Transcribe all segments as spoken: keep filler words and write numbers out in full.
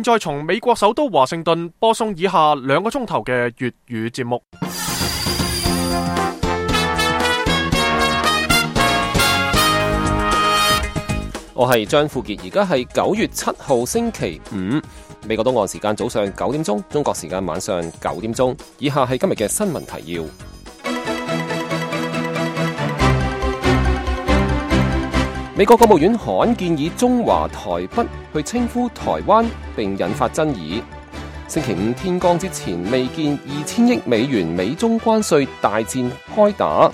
再從美國首都華盛頓播送以下兩個鐘頭嘅粵語節目。我係張富傑，而家係九月七號星期五，美國東岸時間早上九點鐘，中國時間晚上九點鐘。以下係今日嘅新聞提要。美國國務院罕建議中華台北去稱呼台灣，並引發爭議。星期五天光之前，未見二千億美元美中關稅大戰開打。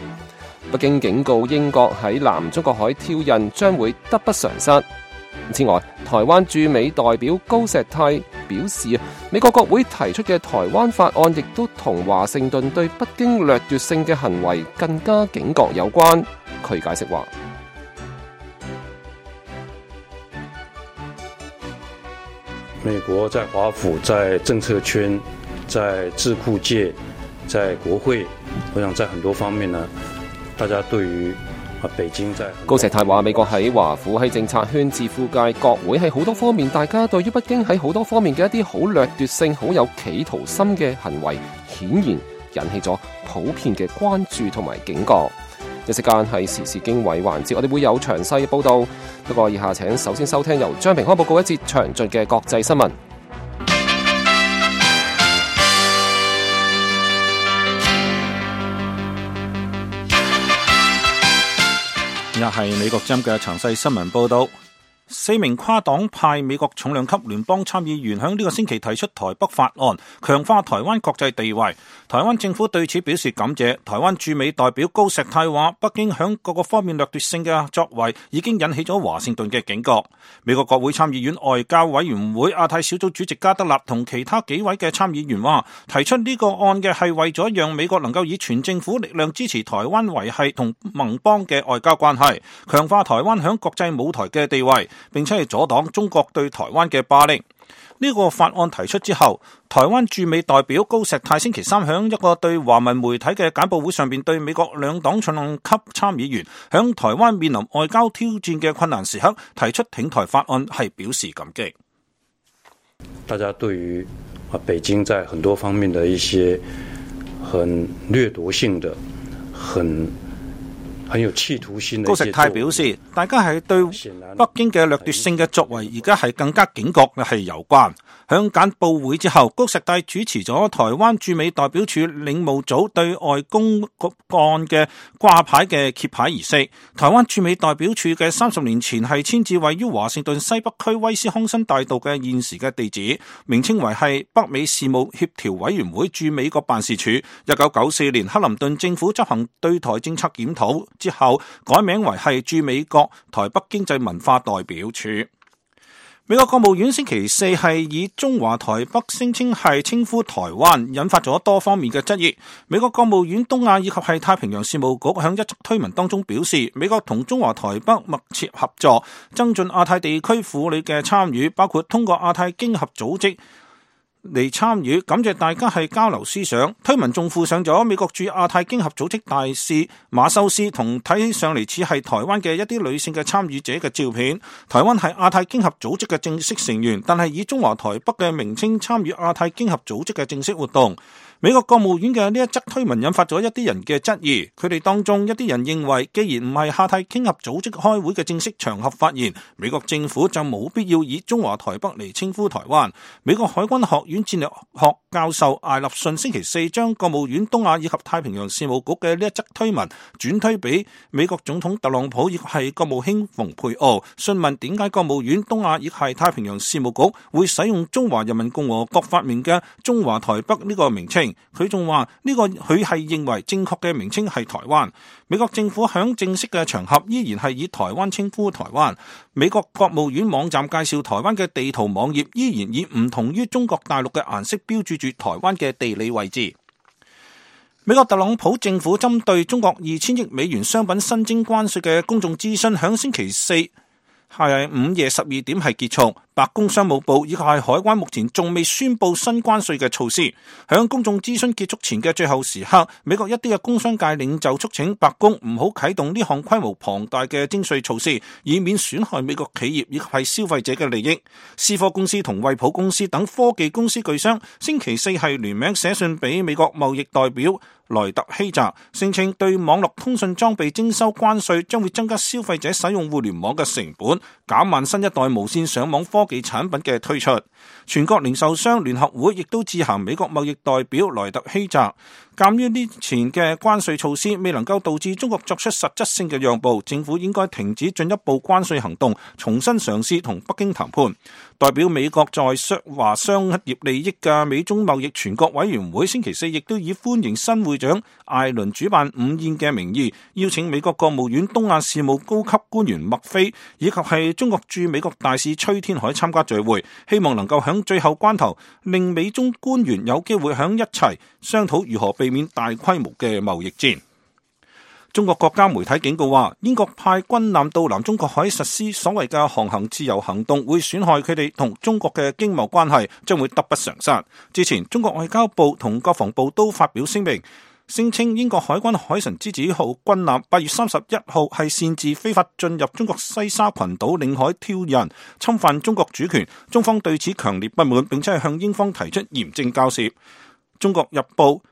北京警告英國喺南中國海挑釁將會得不償失。此外，台灣駐美代表高石泰表示，美國國會提出嘅台灣法案亦都同華盛頓對北京掠奪性嘅行為更加警覺有關。佢解釋話，美國在華府、在政策圈、在智庫界、在國會，我想在很多方面呢，大家對於啊北京在高石泰話，美國喺華府、喺政策圈、智庫界、國會喺好多方面，大家對於北京喺好多方面嘅一啲好掠奪性、好有企圖心嘅行為，顯然引起咗普遍嘅關注同埋警覺。一時間係時事經緯環節，我哋會有詳細報道。不過以下請首先收聽由張平康報告一節詳盡嘅國際新聞。而家係美國之音嘅詳細新聞報道。四名跨黨派美國重量級聯邦參議員響呢個星期提出台北法案，強化台灣國際地位。台灣政府對此表示感謝。台灣駐美代表高石泰話，北京響各個方面掠奪性嘅作為已經引起咗華盛頓嘅警覺。美國國會參議院外交委員會亞太小組主席加德納同其他幾位嘅參議員話，提出呢個案嘅係為咗讓美國能夠以全政府力量支持台灣維繫同盟邦嘅外交關係，強化台灣響國際舞台嘅地位，並且係阻擋中國對台灣嘅霸凌。呢個法案提出之後，台灣駐美代表高石泰星期三響一個對華文媒體嘅簡報會上邊，對美國兩黨重量級參議員響台灣面臨外交挑戰嘅困難時刻提出挺台法案係表示感激。大家對於啊北京在很多方面的一些很掠奪性的、很很有企圖心的。高石泰表示，大家係對北京嘅掠奪性嘅作為，而家係更加警覺嘅係有關。響簡報會之後，高石泰主持咗台灣駐美代表處領務組對外公幹嘅掛牌嘅揭牌儀式。台灣駐美代表處嘅三十年前係遷至位於華盛頓西北區威斯康辛大道嘅現時嘅地址，名稱為係北美事務協調委員會駐美國辦事處。一九九四年克林頓政府執行對台政策檢討之後，改名為係駐美國台北經濟文化代表處。美國國務院星期四係以中華台北聲稱係稱呼台灣，引發咗多方面嘅質疑。美國國務院東亞以及係太平洋事務局響一則推文當中表示，美國同中華台北密切合作，增進亞太地區婦女嘅參與，包括通過亞太經合組織嚟參與，感謝大家係交流思想。推文仲附上咗美國駐亞太經合組織大使馬修斯同睇起上嚟似係台灣嘅一啲女性嘅參與者嘅照片。台灣係亞太經合組織嘅正式成員，但係以中華台北嘅名稱參與亞太經合組織嘅正式活動。美國國務院嘅呢一則推文引發咗一啲人嘅質疑，佢哋當中一啲人認為，既然唔係亞太經合組織開會嘅正式場合發言，美國政府就冇必要以中華台北嚟稱呼台灣。美國海軍學院戰略學教授艾立信星期四將國務院東亞以及太平洋事務局嘅呢一則推文轉推俾美國總統特朗普以及係國務卿蓬佩奧，詢問點解國務院東亞以及係太平洋事務局會使用中華人民共和國發明嘅中華台北呢個名稱。佢仲話呢個佢係認為正確嘅名稱係台灣。美國政府響正式嘅場合依然係以台灣稱呼台灣。美國國務院網站介紹台灣嘅地圖網頁依然以唔同於中國大陸嘅顏色標註住台灣嘅地理位置。美國特朗普政府針對中國二千億美元商品新徵關稅嘅公眾諮詢響星期四係午夜十二點係結束，白宮商務部以及係海關目前仲未宣布新關稅嘅措施。響公眾諮詢結束前嘅最後時刻，美國一啲嘅工商界領袖促請白宮唔好啟動呢項規模龐大嘅徵稅措施，以免損害美國企業以及係消費者嘅利益。思科公司同惠普公司等科技公司巨商星期四係聯名寫信俾美國貿易代表萊特希澤，聲稱對網絡通訊裝備徵收關稅將會增加消費者使用互聯網嘅成本，減慢新一代無線上網科技產品嘅推出。全國零售商聯合會亦都致函美國貿易代表萊特希澤，鑒於呢前嘅關稅措施未能夠導致中國作出實質性嘅讓步，政府應該停止進一步關稅行動，重新嘗試同北京談判。代表美國在華商業利益嘅美中貿易全國委員會星期四亦都以歡迎新會長艾倫主辦午宴嘅名義，邀請美國國務院東亞事務高級官員麥菲以及係中國駐美國大使崔天凱參加聚會，希望能夠響最後關頭令美中官員有機會響一齊商討如何避免大規模嘅貿易戰。中國國家媒體警告話，英國派軍艦到南中國海實施所謂嘅航行自由行動，會損害佢哋同中國嘅經貿關係，將會得不償失。之前，中國外交部同國防部都發表聲明，聲稱英國海軍海神之子號軍艦八月三十一號係擅自非法進入中國西沙群島領海挑釁，侵犯中國主權，中方對此強烈不滿，並且係向英方提出嚴正交涉。中國日報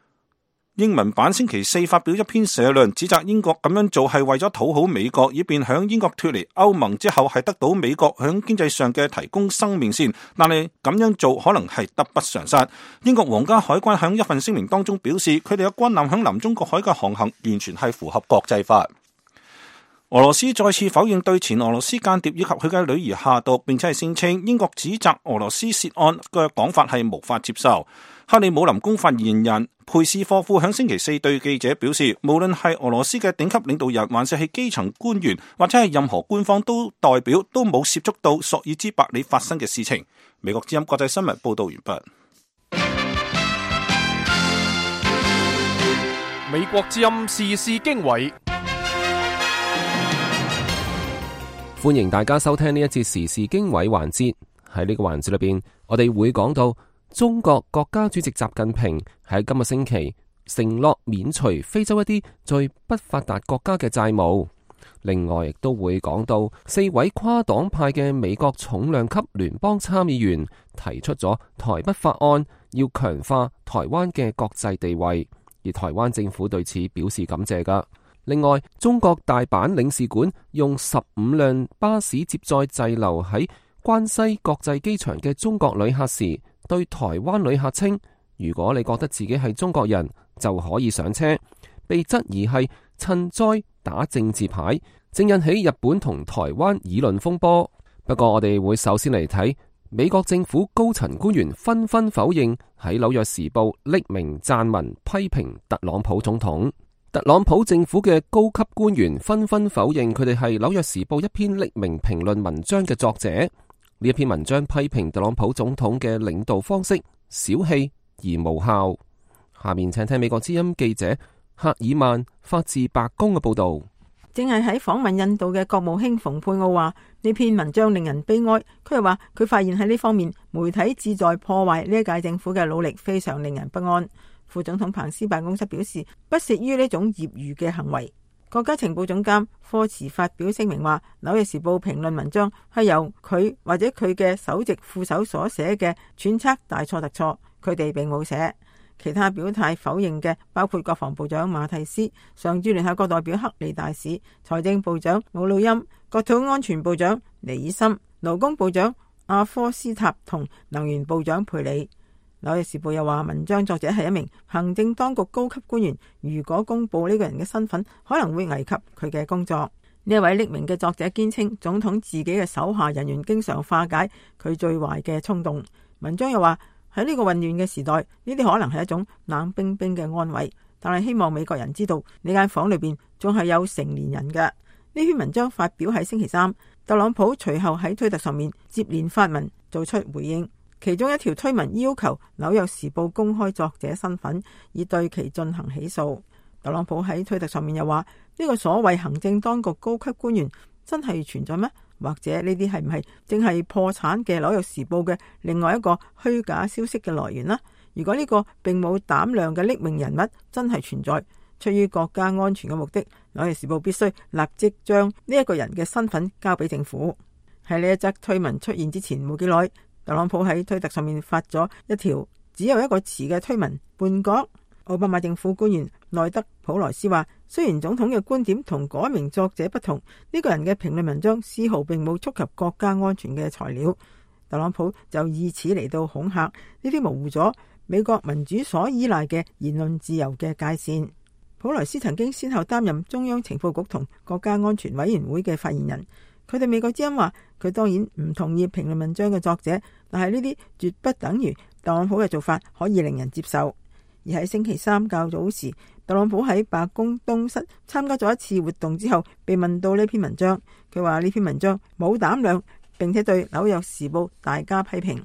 英文版星期四發表一篇社論，指責英國咁樣做係為咗討好美國，以便響英國脫離歐盟之後係得到美國響經濟上嘅提供生命線，但係咁樣做可能係得不償失。英國皇家海關響一份聲明當中表示，佢哋嘅軍艦響南中國海嘅航行完全係符合國際法。俄羅斯再次否認對前俄羅斯間諜以及佢嘅女兒下毒，並且係聲稱英國指責俄羅斯涉案嘅講法係無法接受。克里姆林宮發言人佩斯科夫響星期四對記者表示，無論係俄羅斯嘅頂級領導人，還是係基層官員，或者係任何官方都代表，都冇涉足到索爾茲伯里發生嘅事情。美國之音國際新聞報道完畢。美國之音時事經緯，歡迎大家收聽呢一節時事經緯環節。喺呢個環節裏邊，我哋會講到中國國家主席習近平喺今個星期承諾免除非洲一啲最不發達國家嘅債務。另外，亦都會講到四位跨黨派嘅美國重量級聯邦參議員提出咗台北法案，要強化台灣嘅國際地位，而台灣政府對此表示感謝噶。另外，中國大阪領事館用十五輛巴士接載滯留喺關西國際機場嘅中國旅客時，對台灣旅客稱，如果你覺得自己係中國人，就可以上車，被質疑係趁災打政治牌，正引起日本同台灣議論風波。不過我哋會首先嚟睇美國政府高層官員紛紛否認喺紐約時報匿名撰文批評特朗普總統。特朗普政府嘅高級官員紛紛否認佢哋係紐約時報一篇匿名評論文章嘅作者。呢一篇文章批評特朗普總統嘅領導方式小氣而無效。下面請聽美國之音記者赫爾曼發自白宮嘅報道。正係喺訪問印度嘅國務卿蓬佩奧話，呢篇文章令人悲哀。佢又話佢發現喺呢方面媒體旨在破壞呢一屆政府嘅努力，非常令人不安。副總統彭斯辦公室表示不屑於呢種業餘嘅行為。國家情報總監科茨發表聲明話，紐約時報評論文章係由佢或者佢嘅首席副手所寫嘅，揣測大錯特錯，佢哋並冇寫。其他表態否認嘅包括國防部長馬蒂斯、常駐聯合國代表克里大使、財政部長姆努欽、國土安全部長尼爾森、勞工部長阿科斯塔同能源部長佩里。紐約時報又話，文章作者係一名行政當局高級官員，如果公布呢個人嘅身份，可能會危及佢嘅工作。呢一位匿名嘅作者堅稱，總統自己嘅手下人員經常化解佢最壞嘅衝動。文章又話，喺呢個混亂嘅時代，呢啲可能係一種冷冰冰嘅安慰，但係希望美國人知道呢間房裏邊仲係有成年人嘅。呢篇文章發表喺星期三，特朗普隨後喺推特上面接連發文做出回應。其中一條推文要求紐約時報公開作者身份，以對其進行起訴。特朗普喺推特上面又話，呢個所謂行政當局高級官員真係存在咩？或者呢啲係唔係正係破產嘅紐約時報嘅另外一個虛假消息嘅來源呢？如果呢個並冇膽量嘅匿名人物真係存在，出於國家安全嘅目的，紐約時報必須立即將呢一個人嘅身份交俾政府。喺呢一則推文出現之前冇幾耐，特朗普喺推特上面發咗一條只有一個詞嘅推文叛國。奧巴馬政府官員內德普萊斯話，雖然總統嘅觀點同嗰名作者不同，呢個人嘅評論文章絲毫並冇觸及國家安全嘅材料。特朗普就以此嚟到恐嚇，呢啲模糊咗美國民主所依賴嘅言論自由嘅界線。普萊斯曾經先後擔任中央情報局同國家安全委員會嘅發言人。佢對美國之音話，佢當然唔同意評論文章嘅作者，但係呢啲絕不等於特朗普嘅做法可以令人接受。而喺星期三較早時，特朗普喺白宮東室參加咗一次活動之後，被問到呢篇文章，佢話呢篇文章冇膽量，並且對紐約時報大加批評。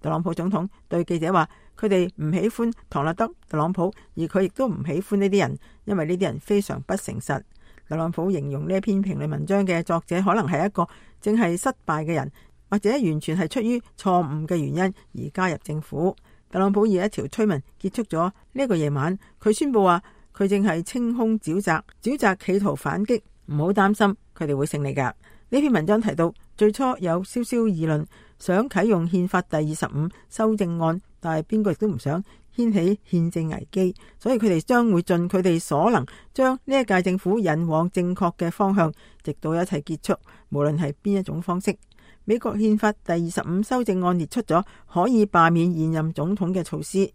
特朗普總統對記者話，佢哋唔喜歡唐納德特朗普，而佢亦都唔喜歡呢啲人，因為呢啲人非常不誠實。特朗普形容呢篇評論文章嘅作者可能係一個正係失敗嘅人，或者完全係出於錯誤嘅原因而加入政府。特朗普以一條推文結束咗呢個夜晚，佢宣布話佢正係清空沼澤，沼澤企圖反擊，唔好擔心，佢哋會勝利噶。呢篇文章提到，最初有稍稍議論想啟用憲法第二十五修正案，但係邊個亦都唔想掀起憲政危機，所以佢哋將會盡佢哋所能將呢一屆政府引往正確嘅方向，直到一切結束，無論係邊一種方式。美國憲法第二十五修正案列出咗可以罷免現任總統嘅措施。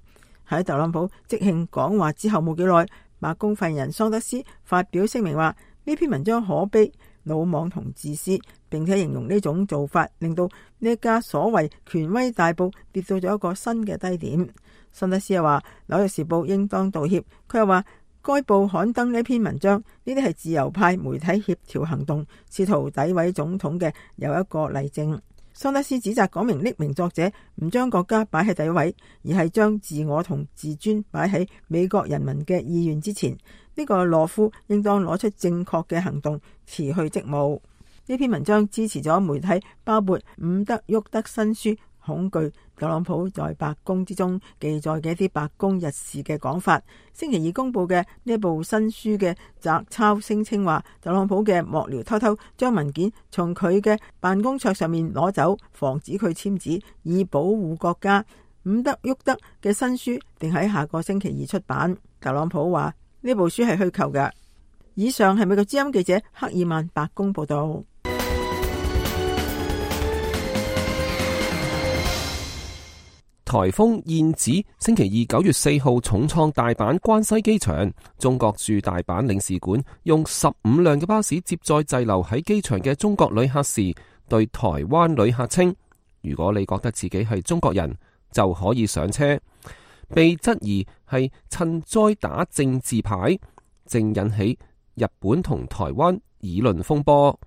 喺特朗普即興講話之後冇幾耐，白宮發言人桑德斯發表聲明話，呢篇文章可悲、魯莽同自私，並且形容呢種做法令到呢一家所謂權威大報跌到咗一個新嘅低點。桑德斯又話，紐約時報應當道歉。佢又話，該報刊登呢篇文章，呢啲係自由派媒體協調行動，試圖詆毀總統嘅有一個例證。桑德斯指責嗰名匿名作者唔將國家擺喺第一位，而係將自我同自尊擺喺美國人民嘅意願之前。呢個懦夫應當攞出正確嘅行動辭去職務。呢篇文章支持咗媒體包括伍德沃德新書恐懼特朗普在白宮之中記載嘅一啲白宮日事嘅講法。星期二公布嘅呢一部新書嘅摘抄聲稱話，特朗普嘅幕僚偷偷將文件從佢嘅辦公桌上面攞走，防止佢簽字，以保護國家。伍德沃德嘅新書定喺下個星期二出版。特朗普話呢部書係虛構嘅。以上係美國之音記者克爾曼白宮報道。颱風燕子星期二九月四號重創大阪關西機場，中國駐大阪領事館用十五輛嘅巴士接載滯留喺機場嘅中國旅客時，對台灣旅客稱：如果你覺得自己係中國人，就可以上車。被質疑係趁災打政治牌，正引起日本同台灣議論風波。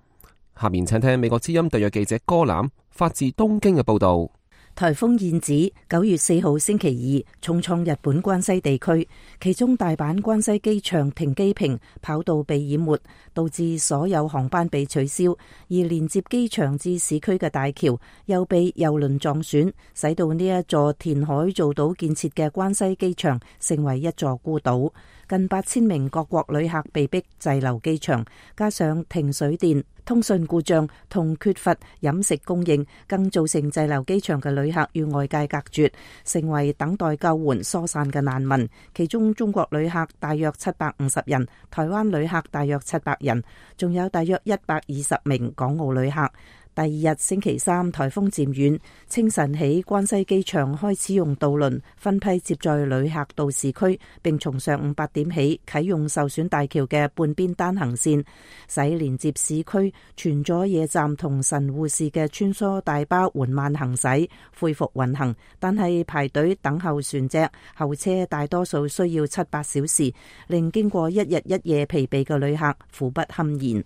下面請聽美國之音特約記者歌欖發自東京嘅報道。颱風燕子九月四號星期二重創日本關西地區，其中大阪關西機場停機坪跑道被淹沒，導致所有航班被取消，而連接機場至市區嘅大橋又被郵輪撞損，使到呢一座填海造島建設嘅關西機場成為一座孤島。近八千名各國旅客被迫滯留機場，加上停水電、通訊故障同缺乏飲食供應，更造成滯留機場嘅旅客與外界隔絕，成為等待救援疏散嘅難民。其中中國旅客大約七百五十人，台灣旅客大約七百人，仲有大約一百二十名港澳旅客。第二日星期三，颱風漸遠，清晨起關西機場開始用渡輪分批接載旅客到市區，並從上午八點起啟用受損大橋嘅半邊單行線，使連接市區全佐野站同神戶市嘅穿梭大巴緩慢行駛，恢復運行。但係排隊等候船隻，候車大多數需要七八小時，令經過一日一夜疲憊嘅旅客苦不堪言。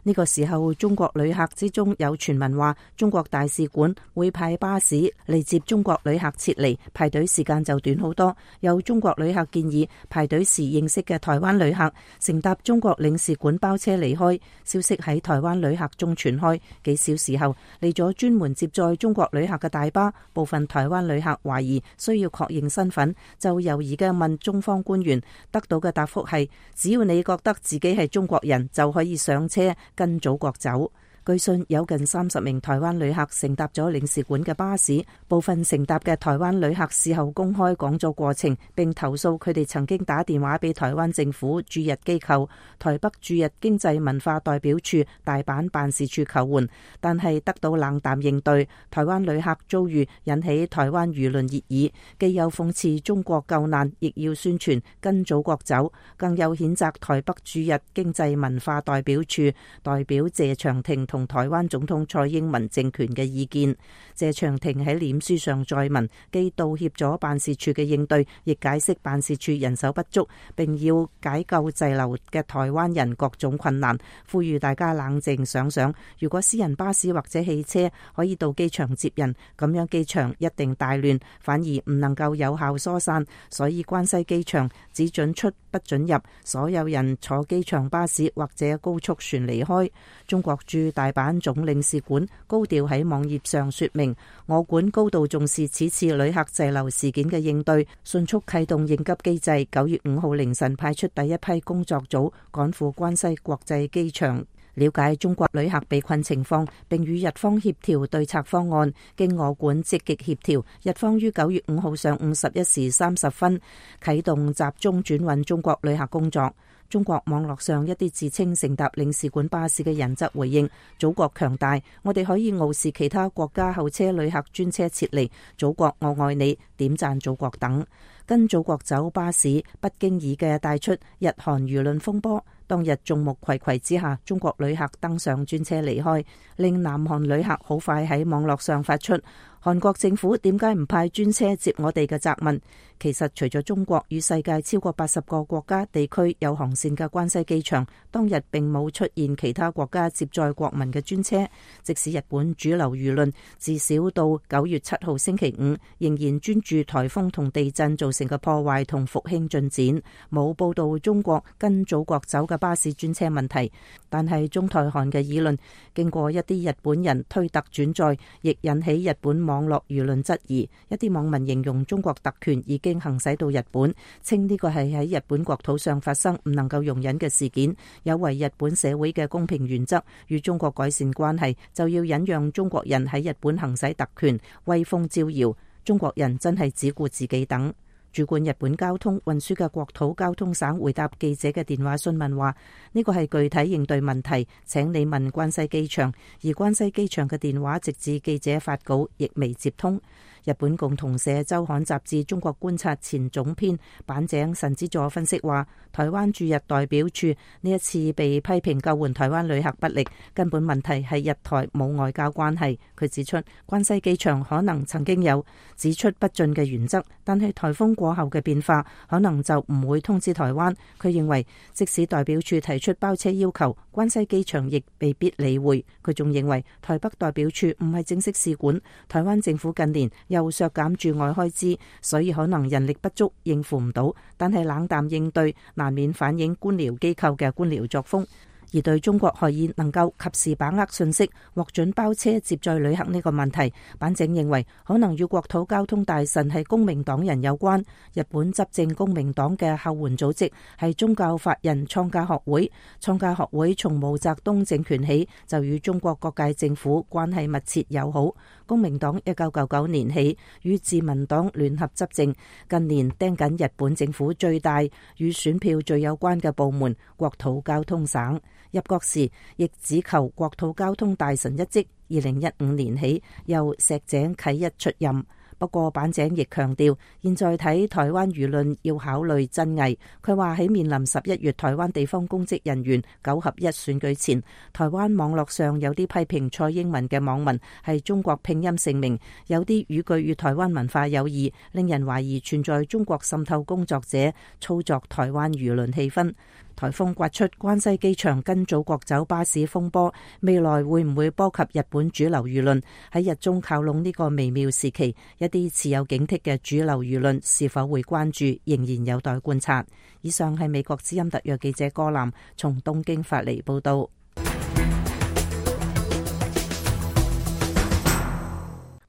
呢呢個時候，中國旅客之中有傳聞話，中國大使館會派巴士嚟接中國旅客撤離，排隊時間就短好多。有中國旅客建議排隊時認識嘅台灣旅客乘搭中國領事館包車離開。消息喺台灣旅客中傳開，幾小時後嚟咗專門接載中國旅客嘅大巴，部分台灣旅客懷疑需要確認身份，就猶豫嘅問中方官員，得到嘅答覆係：只要你覺得自己係中國人，就可以上車跟祖國走。據信有近三十名台灣旅客乘搭咗領事館嘅巴士，部分乘搭嘅台灣旅客事後公開講咗過程，並投訴佢哋曾經打電話俾台灣政府駐日機構台北駐日經濟文化代表處大阪辦事處求援，但係得到冷淡應對。台灣旅客遭遇引起台灣輿論熱議，既有諷刺中國救難，亦要宣傳跟祖國走，更有譴責台北駐日經濟文化代表處代表謝長廷同台灣總統蔡英文政權嘅意見。謝長廷喺臉書上載文，既道歉咗辦事處嘅應對，亦解釋辦事處人手不足，並要解救滯留嘅台灣人各種困難，呼籲大家冷靜想想，如果私人巴士或者汽車可以到機場接人，咁樣機場一定大亂，反而唔能夠有效疏散。所以關西機場只准出不准入，所有人坐機場巴士或者高速船離開。中國駐大阪總領事館高調喺網頁上說明，我館高度重視此次旅客滯留事件嘅應對，迅速啟動應急機制。九月五號凌晨派出第一批工作組趕赴關西國際機場，了解中國旅客被困情況，並與日方協調對策方案。經我館積極協調，日方於九月五號上午十一時三十分啟動集中轉運中國旅客工作。中國網絡上一啲自稱乘搭領事館巴士嘅人則回應：祖國強大，我哋可以傲視其他國家候車旅客專車撤離，祖國我愛你，點讚祖國等。跟祖國走巴士不經意嘅帶出日韓輿論風波。當日眾目睽睽之下，中國旅客登上專車離開，令南韓旅客好快喺網絡上發出韓國政府點解唔派專車接我哋嘅責問。其實除咗中國與世界超過八十個國家地區有航線嘅關西機場，當日並冇出現其他國家接載國民嘅專車。即使日本主流輿論至少到九月七號星期五仍然專注颱風同地震造成嘅破壞同復興進展，冇報道中國跟祖國走嘅巴士專車問題。但係中台韓嘅議論經過一啲日本人推特轉載，亦引起日本網絡輿論質疑。一啲網民形容中國特權已經行使到日本，稱呢個係喺日本國土上發生唔能夠容忍嘅事件，有違日本社會嘅公平原則。與中國改善關係，就要忍讓中國人喺日本行使特權，威風招搖。中國人真係只顧自己等。主管日本交通運輸嘅國土交通省回答記者嘅電話詢問話：呢個係具體應對問題，請你問關西機場。而關西機場嘅電話直至記者發稿亦未接通。日本共同社周刊雜誌中國觀察前總編板井慎之助分析話，台灣駐日代表處呢一次被批評救援台灣旅客不力，根本問題係日台冇外交關係。佢指出，關西機場可能曾經有只出不進嘅原則，但係台風過後嘅變化可能就唔會通知台灣。佢認為，即使代表處提出包車要求，關西機場亦未必理會。佢仲認為，台北代表處唔係正式使館，台灣政府近年又削減駐外開支，所以可能人力不足應付唔到，但係冷淡應對難免反映官僚機構嘅官僚作風。而對中國可以能夠及時把握信息，獲准包車接載旅客呢個問題，板井認為可能與國土交通大臣係公明黨人有關。日本執政公明黨嘅後援組織係宗教法人創價學會，創價學會從毛澤東政權起就與中國各界政府關係密切友好。公明黨一九九九年起與自民黨聯合執政，近年盯緊日本政府最大與選票最有關嘅部門國土交通省。入國時亦只求國土交通大臣一職，二零一五年起由石井啟一出任。不過板井亦強調，現在睇台灣輿論要考慮真偽。佢話喺面臨十一月台灣地方公職人員九合一選舉前，台灣網絡上有啲批評蔡英文嘅網民係中國拼音姓名，有啲語句與台灣文化有異，令人懷疑存在中國滲透工作者操作台灣輿論氣氛。颱風刮出關西機場跟祖國走巴士風波，未來會唔會波及日本主流輿論？喺日中靠攏呢個微妙時期，一啲持有警惕嘅主流輿論是否會關注，仍然有待觀察。以上係美國之音特約記者柯南從東京發嚟報道。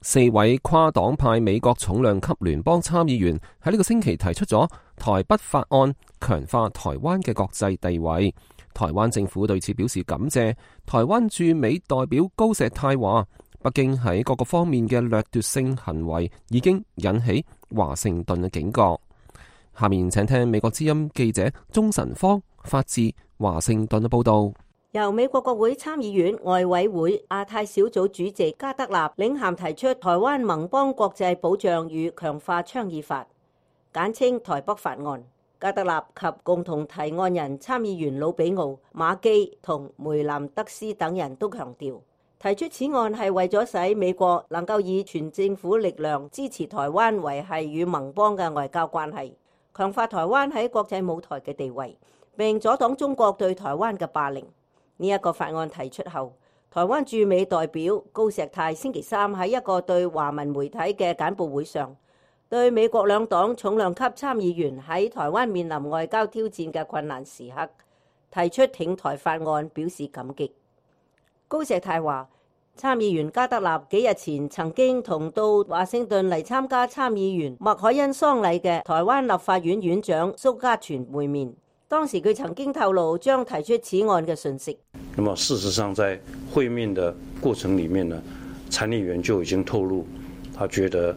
四位跨黨派美國重量級聯邦參議員喺呢個星期提出咗台北法案，強化台灣嘅國際地位。台灣政府對此表示感謝。台灣駐美代表高石泰話，北京喺各個方面嘅掠奪性行為已經引起華盛頓嘅警覺。下面請聽美國之音記者鍾晨芳發自華盛頓嘅報道。由美國國會參議院外委會亞太小組主席加德納領銜提出台灣盟邦國際保障與強化倡議法，簡稱台北法案。加德納及共同提案人參議員魯比奧、馬基同梅南德斯等人都強調，提出此案係為咗使美國能夠以全政府力量支持台灣維繫與盟邦嘅外交關係，強化台灣喺國際舞台嘅地位，並阻擋中國對台灣嘅霸凌。呢一個法案提出後，台灣駐美代表高石泰星期三喺一個對華文媒體嘅簡報會上，對美國兩黨重量級參議員喺台灣面臨外交挑戰嘅困難時刻提出挺台法案表示感激。高石泰話，參議員加德納幾日前曾經同到華盛頓嚟參加參議員麥凱恩喪禮嘅台灣立法院院長蘇嘉全會面。當時佢曾經透露將提出此案嘅訊息。那麼事實上，在會面的過程裡面呢，參議員就已經透露，他覺得，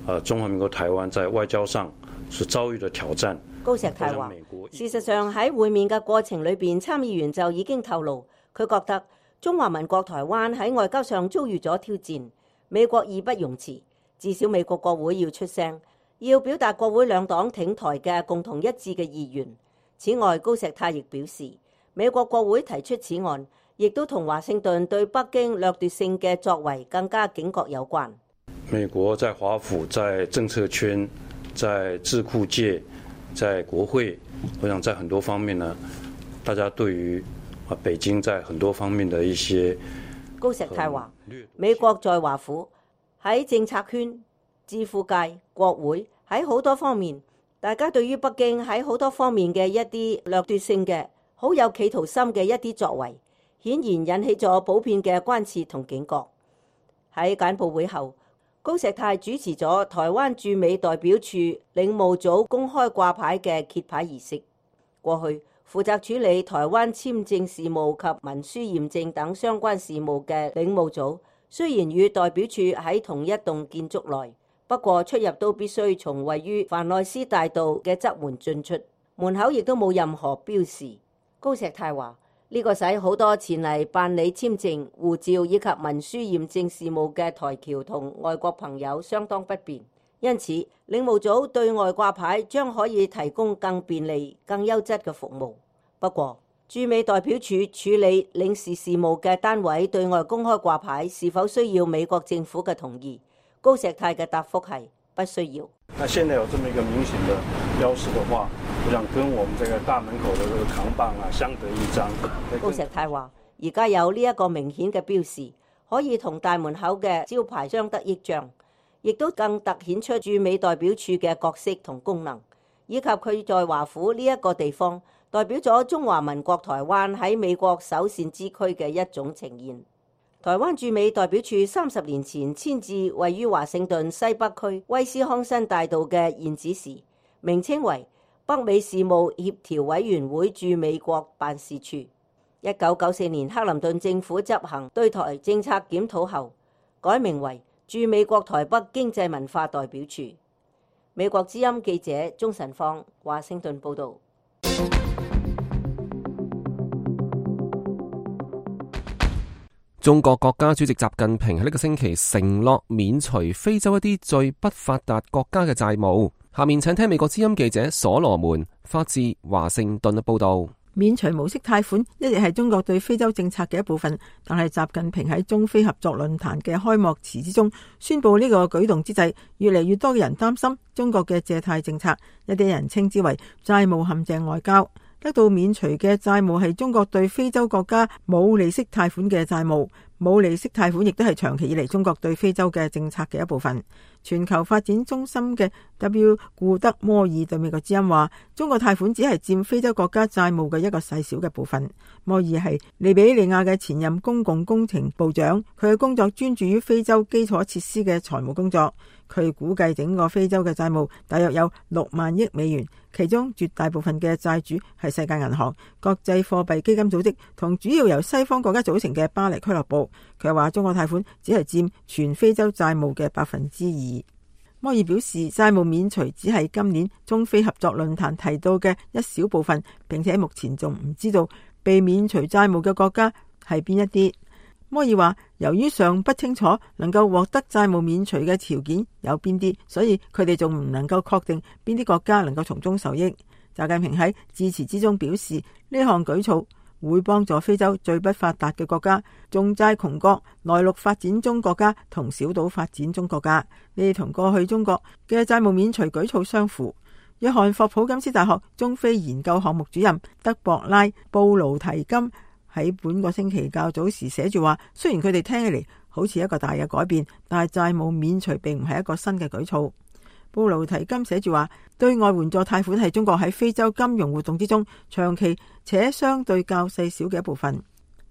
呃，中華民國台灣在外交上是遭遇的挑戰。高石泰話，事實上喺會面嘅過程裏邊，參議員就已經透露，佢覺得中華民國台灣喺外交上遭遇咗挑戰，美國義不容辭，至少美國國會要出聲，要表達國會兩黨挺台嘅共同一致嘅意願。此外，高石泰亦表示，美國國會提出此案，亦都同華盛頓對北京掠奪性嘅作為更加警覺有關。美國在華府、在政策圈、在智庫界、在國會，我想在很多方面呢，大家對於啊北京在很多方面的一些，高石泰話，美國在華府、喺政策圈、智庫界、國會喺好多方面。大家對於北京喺好多方面嘅一啲掠奪性嘅、好有企圖心嘅一啲作為，顯然引起咗普遍嘅關切同警覺。喺簡報會後，高石泰主持咗台灣駐美代表處領務組公開掛牌嘅揭牌儀式。過去負責處理台灣簽證事務及文書驗證等相關事務嘅領務組，雖然與代表處喺同一棟建築內，不過出入都必須從位於凡內斯大道嘅側門進出，門口亦都冇任何標示。高石泰話：呢個使好多前嚟辦理簽證、護照以及文書驗證事務嘅台僑同外國朋友相當不便，因此領務組對外掛牌將可以提供更便利、更優質嘅服務。不過，駐美代表處處理領事事務嘅單位對外公開掛牌是否需要美國政府嘅同意？高石泰嘅答覆係不需要。那現在有這麼一個明顯的標識的話，我想跟我們這個大門口的這個扛棒啊相得益彰。高石泰話：而家有呢一個明顯嘅標示，可以同大門口嘅招牌相得益彰，亦都更凸顯出駐美代表處嘅角色同功能，以及佢在華府呢一個地方代表咗中華民國台灣喺美國首善之區嘅一種呈現。台灣駐美代表處三十年前遷至位於華盛頓西北區威斯康辛大道嘅現址時，名稱為北美事務協調委員會駐美國辦事處。一九九四年克林頓政府執行對台政策檢討後，改名為駐美國台北經濟文化代表處。美國之音記者鍾晨芳，華盛頓報道。中國國家主席習近平喺呢個星期承諾免除非洲一啲最不發達國家嘅債務。下面請聽美國之音記者所羅門發自華盛頓嘅報道。免除無息貸款一直係中國對非洲政策嘅一部分，但係習近平喺中非合作論壇嘅開幕詞之中宣布呢個舉動之際，越嚟越多嘅人擔心中國嘅借貸政策，一啲人稱之為債務陷阱外交。得到免除嘅債務係中國對非洲國家冇利息貸款嘅債務。冇利息貸款亦都係長期以嚟中國對非洲嘅政策嘅一部分。全球發展中心嘅 W 顧德摩爾對美國之音話，中國貸款只係佔非洲國家債務嘅一個細小嘅部分。摩爾係利比里亞嘅前任公共工程部長，佢嘅工作專注於非洲基礎設施嘅財務工作。佢估計整個非洲嘅債務大約有六萬億美元，其中絕大部分嘅債主係世界銀行、國際貨幣基金組織同主要由西方國家組成嘅巴黎俱樂部。佢話中國貸款只係佔全非洲債務嘅百分之二。摩爾表示，債務免除只係今年中非合作論壇提到嘅一小部分，並且目前仲唔知道被免除債務嘅國家係邊一啲。摩爾話，由於尚不清楚能夠獲得債務免除嘅條件有邊啲，所以佢哋仲唔能夠確定邊啲國家能夠從中受益。習近平喺致辭之中表示，呢項舉措會幫助非洲最不發達嘅國家、重債窮國、內陸發展中國家同小島發展中國家。呢啲同過去中國嘅債務免除舉措相符。約翰霍普金斯大學中非研究項目主任德博拉布勞提金喺本個星期較早時寫住話，雖然佢哋聽起嚟好似一個大嘅改變，但係債務免除並唔係一個新嘅舉措。布勞提金寫住話，對外援助貸款係中國喺非洲金融活動之中長期且相對較細小嘅一部分。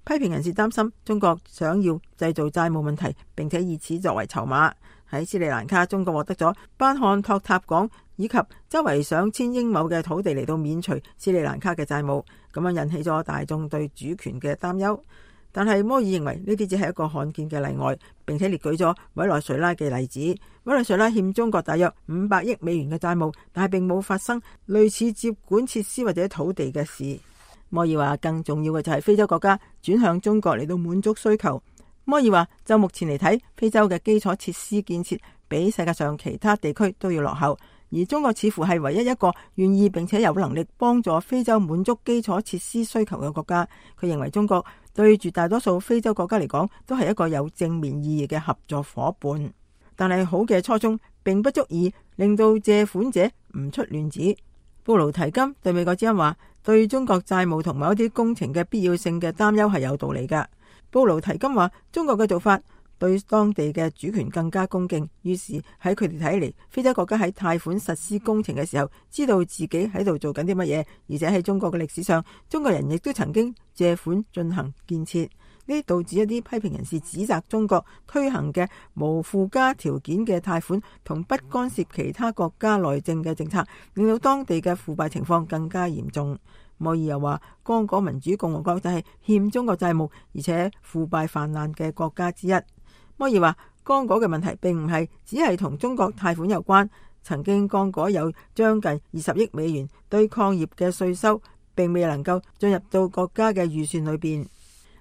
批評人士擔心中國想要製造債務問題，並且以此作為籌碼。喺斯里蘭卡，中國獲得咗班漢托塔港以及周圍上千英畝嘅土地嚟到免除斯里蘭卡嘅債務，咁樣引起咗大眾對主權嘅擔憂。但係摩爾認為呢啲只係一個罕見嘅例外，並且列舉咗委內瑞拉嘅例子。委內瑞拉欠中國大約五百億美元嘅債務，但係並冇發生類似接管設施或者土地嘅事。摩爾話，更重要嘅就係非洲國家轉向中國嚟到滿足需求。摩爾話，就目前嚟睇，非洲嘅基礎設施建設比世界上其他地區都要落後，而中國似乎係唯一一個願意並且有能力幫助非洲滿足基礎設施需求嘅國家。佢認為中國對絕大多數非洲國家嚟講都係一個有正面意義嘅合作夥伴，但係好嘅初衷並不足以令到借款者唔出亂子。布勞提金對美國之音話，對中國債務同某一啲工程嘅必要性嘅擔憂係有道理㗎。布勞提金話，中國嘅做法對當地嘅主權更加恭敬，於是喺佢哋睇嚟，非洲國家喺貸款實施工程嘅時候，知道自己喺度做緊啲乜嘢，而且喺中國嘅歷史上，中國人亦都曾經借款進行建設。呢導致一啲批評人士指責中國推行嘅無附加條件嘅貸款同不干涉其他國家內政嘅政策，令到當地嘅腐敗情況更加嚴重。摩爾又話，剛果民主共和國就係欠中國債務而且腐敗泛濫嘅國家之一。摩爾話，剛果嘅問題並唔係只係同中國貸款有關，曾經剛果有將近二十億美元對礦業嘅稅收，並未能夠進入到國家嘅預算裏邊。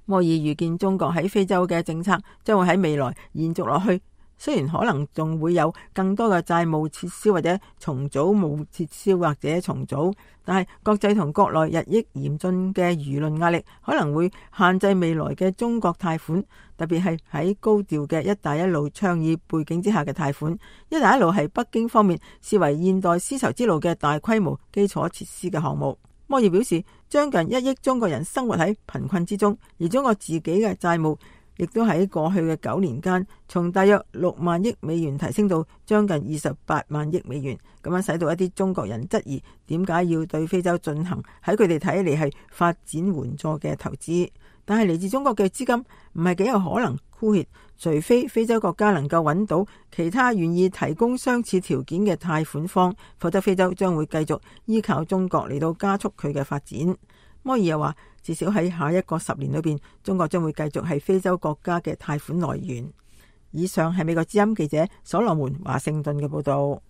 摩爾預見中國喺非洲嘅政策將會喺未來延續落去。雖然可能仲會有更多嘅債務撤銷或者重組冇撤銷或者重組，但係國際同國內日益嚴峻嘅輿論壓力可能會限制未來嘅中國貸款，特別係喺高調嘅一帶一路倡議背景之下嘅貸款。一帶一路係北京方面視為現代絲綢之路嘅大規模基礎設施嘅項目。摩爾表示，將近一億中國人生活喺貧困之中，而中國自己嘅債務亦都喺過去嘅九年間，從大約六萬億美元提升到將近二十八萬億美元，咁樣使到一啲中國人質疑點解要對非洲進行喺佢哋睇嚟係發展援助嘅投資。但係嚟自中國嘅資金唔係幾有可能枯竭，除非非洲國家能夠揾到其他願意提供相似條件嘅貸款方，否則非洲將會繼續依靠中國嚟到加速佢嘅發展。摩爾又話，至少喺下一個十年裏邊，中國將會繼續係非洲國家嘅貸款來源。以上係美國之音記者所羅門華盛頓嘅報道。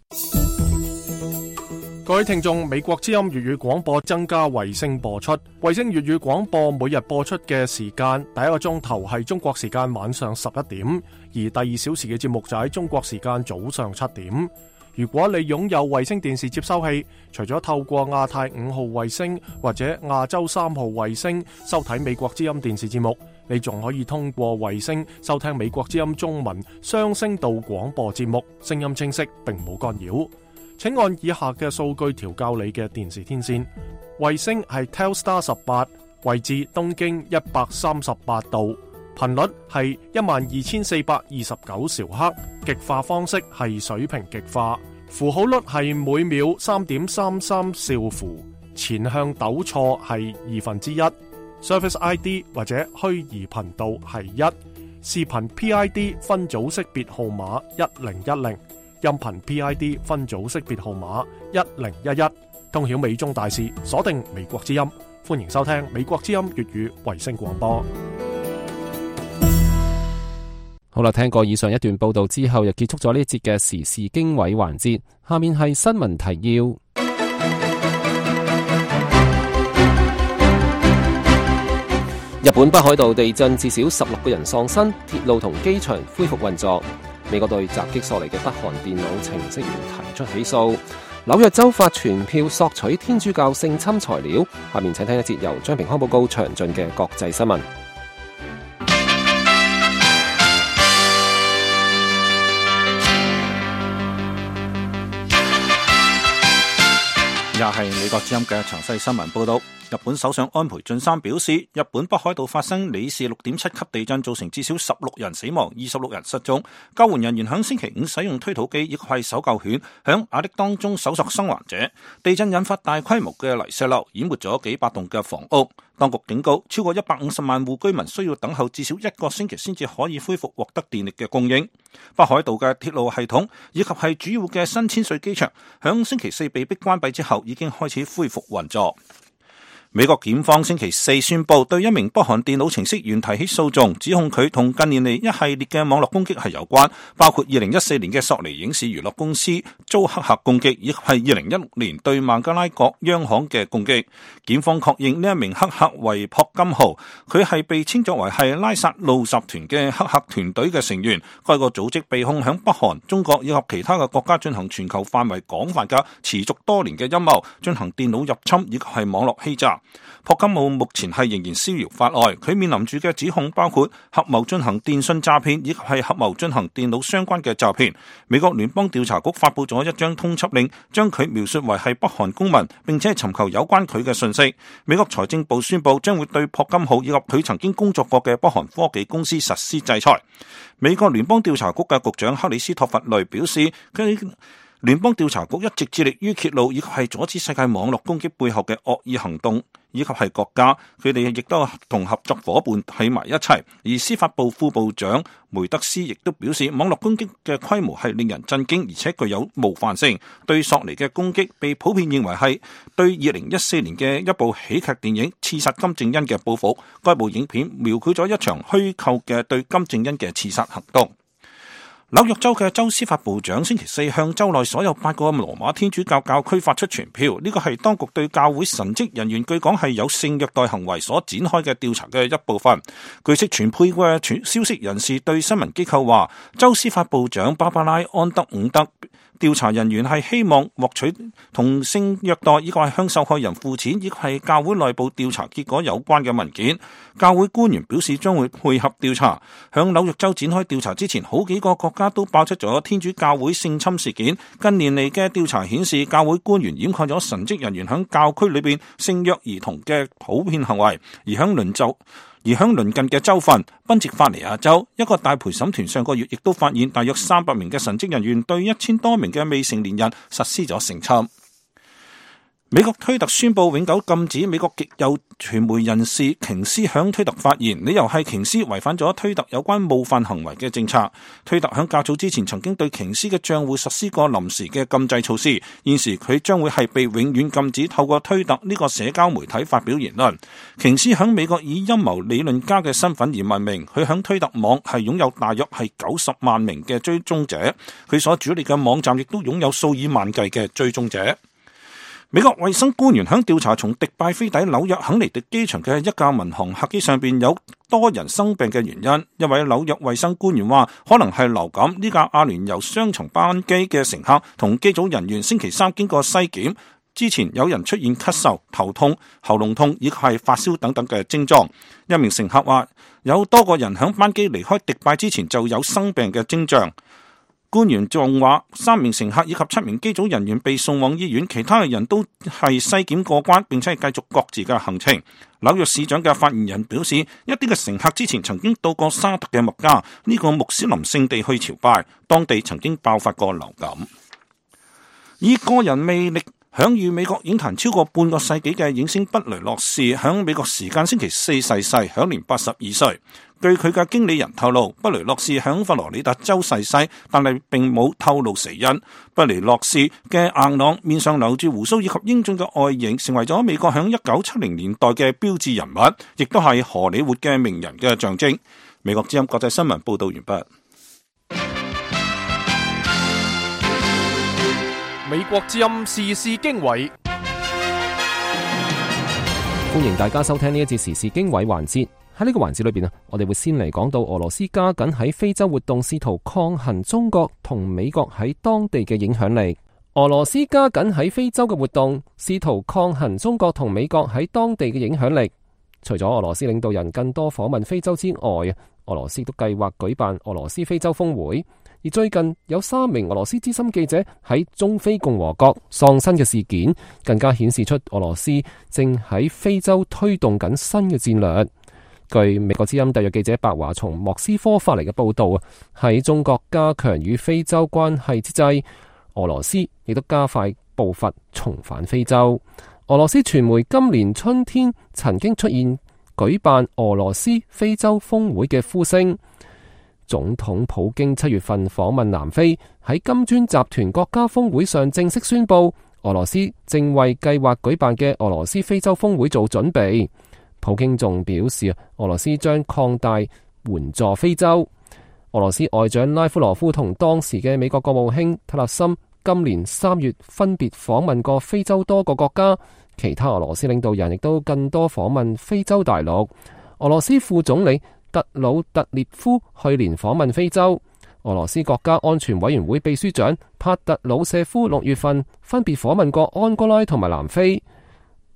各位聽眾，美國之音粵語廣播增加衛星播出，衛星粵語廣播每日播出嘅時間，第一個鐘頭係中國時間晚上十一點，而第二小時嘅節目就喺中國時間早上七點。如果你擁有衛星電視接收器，除咗透過亞太五號衛星或者亞洲三號衛星收睇美國之音電視節目，你仲可以通過衛星收聽美國之音中文雙聲道廣播節目，聲音清晰並冇干擾。請按以下嘅數據調校你嘅電視天線。衛星係 Telstar 十八，位置東經一百三十八度，頻率係一萬二千四百二十九兆赫，極化方式係水平極化，符號率係每秒三點三三兆符，前向抖錯係二分之一，Service I D 或者虛擬頻道係一，視頻 P I D 分組識別號碼一零一零，音頻 P I D 分組識別號碼一零一一。通曉美中大事，鎖定美國之音，歡迎收聽美國之音粵語衛星廣播。好啦，聽過以上一段報道之後，又結束咗呢一節嘅時事經緯環節。下面係新聞提要。日本北海道地震，至少十六個人喪生，鐵路同機場恢復運作。美國對襲擊索尼嘅北韓電腦程式員提出起訴。紐約州法傳票索取天主教性侵材料。下面請聽一節由張平康報告詳盡嘅國際新聞。又係美國之音嘅詳細新聞報道。日本首相安倍晉三表示，日本北海道發生里氏六點七級地震，造成至少十六人死亡，二十六人失蹤。救援人員響星期五使用推土機以及係搜救犬響瓦礫當中搜索生還者。地震引發大規模嘅泥石流，淹沒咗幾百棟嘅房屋。當局警告，超過一百五十萬戶居民需要等候至少一個星期先至可以恢復獲得電力嘅供應。北海道嘅鐵路系統以及係主要嘅新千歲機場，響星期四被迫關閉之後，已經開始恢復運作。美國檢方星期四宣布對一名北韓電腦程式員提起訴訟，指控佢同近年嚟一系列嘅網絡攻擊係有關，包括二零一四年嘅索尼影視娛樂公司遭黑客攻擊，以及係二零一六年對孟加拉國央行嘅攻擊。檢方確認呢一名黑客為朴金浩，佢係被稱作為係拉薩路集團嘅黑客團隊嘅成員。該個組織被控響北韓、中國以及其他嘅國家進行全球範圍廣泛嘅持續多年嘅陰謀，進行電腦入侵以及係網絡欺詐。朴金浩目前係仍然逍遙法外，佢面臨住嘅指控包括合謀進行電信詐騙，以及係合謀進行電腦相關嘅詐騙。美國聯邦調查局發佈咗一張通緝令，將佢描述為係北韓公民，並且尋求有關佢嘅信息。美國財政部宣布將會對朴金浩以及佢曾經工作過嘅北韓科技公司實施制裁。美國聯邦調查局嘅局長克里斯托弗雷表示，佢聯邦調查局一直致力於揭露以及係阻止世界網絡攻擊背後嘅惡意行動，以及係國家，佢哋亦都同合作夥伴喺埋一齊。而司法部副部長梅德斯亦都表示，網絡攻擊嘅規模係令人震驚，而且具有冒犯性。對索尼嘅攻擊被普遍認為係對二零一四年嘅一部喜劇電影《刺殺金正恩》嘅報復。該部影片描繪咗一場虛構嘅對金正恩嘅刺殺行動。紐約州嘅州司法部長星期四向州內所有八個羅馬天主教教區發出傳票，呢個係當局對教會神職人員據講係有性虐待行為所展開嘅調查嘅一部分。據悉傳配嘅消息人士對新聞機構話，州司法部長芭芭拉安德伍德調查人員係希望獲取同性虐待以及係向受害人付錢，以及係教會內部調查結果有關嘅文件。教會官員表示將會配合調查。響紐約州展開調查之前，好幾個國家都爆出咗天主教會性侵事件。近年嚟嘅調查顯示，教會官員掩蓋咗神職人員響教區裏邊性虐兒童嘅普遍行為。而響鄰州而響鄰近嘅州份賓夕法尼亞州，一個大陪審團上個月亦都發現大約三百名嘅神職人員對一千多名嘅未成年人實施咗性侵。美國推特宣布永久禁止美國極右傳媒人士瓊斯響推特發言，理由係瓊斯違反咗推特有關冒犯行為嘅政策。推特響較早之前曾經對瓊斯嘅賬戶實施過臨時嘅禁制措施，現時佢將會係被永遠禁止透過推特呢個社交媒體發表言論。瓊斯響美國以陰謀理論家嘅身份而聞名，佢響推特網係擁有大約係九十萬名嘅追蹤者，佢所主理嘅網站亦都擁有數以萬計嘅追蹤者。美國衛生官員響調查從迪拜飛抵紐約肯尼迪機場嘅一架民航客機上邊有多人生病嘅原因，一位紐約衛生官員話可能係流感。呢架阿聯酋雙層班機嘅乘客同機組人員星期三經過篩檢之前，有人出現咳嗽、頭痛、喉嚨痛以及係發燒等等嘅症狀。一名乘客話有多個人響班機離開迪拜之前就有生病嘅徵象。官員仲話，三名乘客以及七名機組人員被送往醫院，其他嘅人都係篩檢過關，並且係繼續各自嘅行程。紐約市長嘅發言人表示，一啲嘅乘客之前曾經到過沙特嘅麥加呢個穆斯林聖地去朝拜，當地曾經爆發過流感。以個人魅力享譽美國影壇超過半個世紀嘅影星畢雷洛士，響美國時間星期四逝世，享年八十二歲。據佢嘅經理人透露，畢雷洛士響佛羅里達州逝世，但係並冇透露死因。畢雷洛士嘅硬朗，面上留住鬍鬚以及英俊嘅外形，成為咗美國響一九七零年代嘅標誌人物，亦都係荷里活嘅名人嘅象徵。美國之音國際新聞報道完畢。美國之音時事經緯，歡迎大家收聽呢一節時事經緯環節。喺呢個環節裏邊啊，我哋會先嚟講到俄羅斯加緊喺非洲活動，試圖抗衡中國同美國喺當地嘅影響力。俄羅斯加緊喺非洲嘅活動，試圖抗衡中國同美國喺當地嘅影響力。除咗俄羅斯領導人更多訪問非洲之外，俄羅斯都計劃舉辦俄羅斯非洲峰會。而最近有三名俄羅斯資深記者喺中非共和國喪生嘅事件，更加顯示出俄羅斯正喺非洲推動緊新嘅戰略。據美國之音特約記者白華從莫斯科發嚟嘅報道啊，喺中國加強與非洲關係之際，俄羅斯亦都加快步伐重返非洲。俄羅斯傳媒今年春天曾經出現舉辦俄羅斯非洲峰會嘅呼聲。總統普京七月份訪問南非，喺金磚集團國家峰會上正式宣布，俄羅斯正為計劃舉辦嘅俄羅斯非洲峰會做準備。普京仲表示，俄羅斯將擴大援助非洲。俄羅斯外長拉夫羅夫同當時嘅美國國務卿特勒森今年三月分別訪問過非洲多個國家，其他俄羅斯領導人亦都更多訪問非洲大陸。俄羅斯副總理特魯特列夫去年訪問非洲，俄羅斯國家安全委員會秘書長帕特魯舍夫六月份分別訪問過安哥拉同埋南非。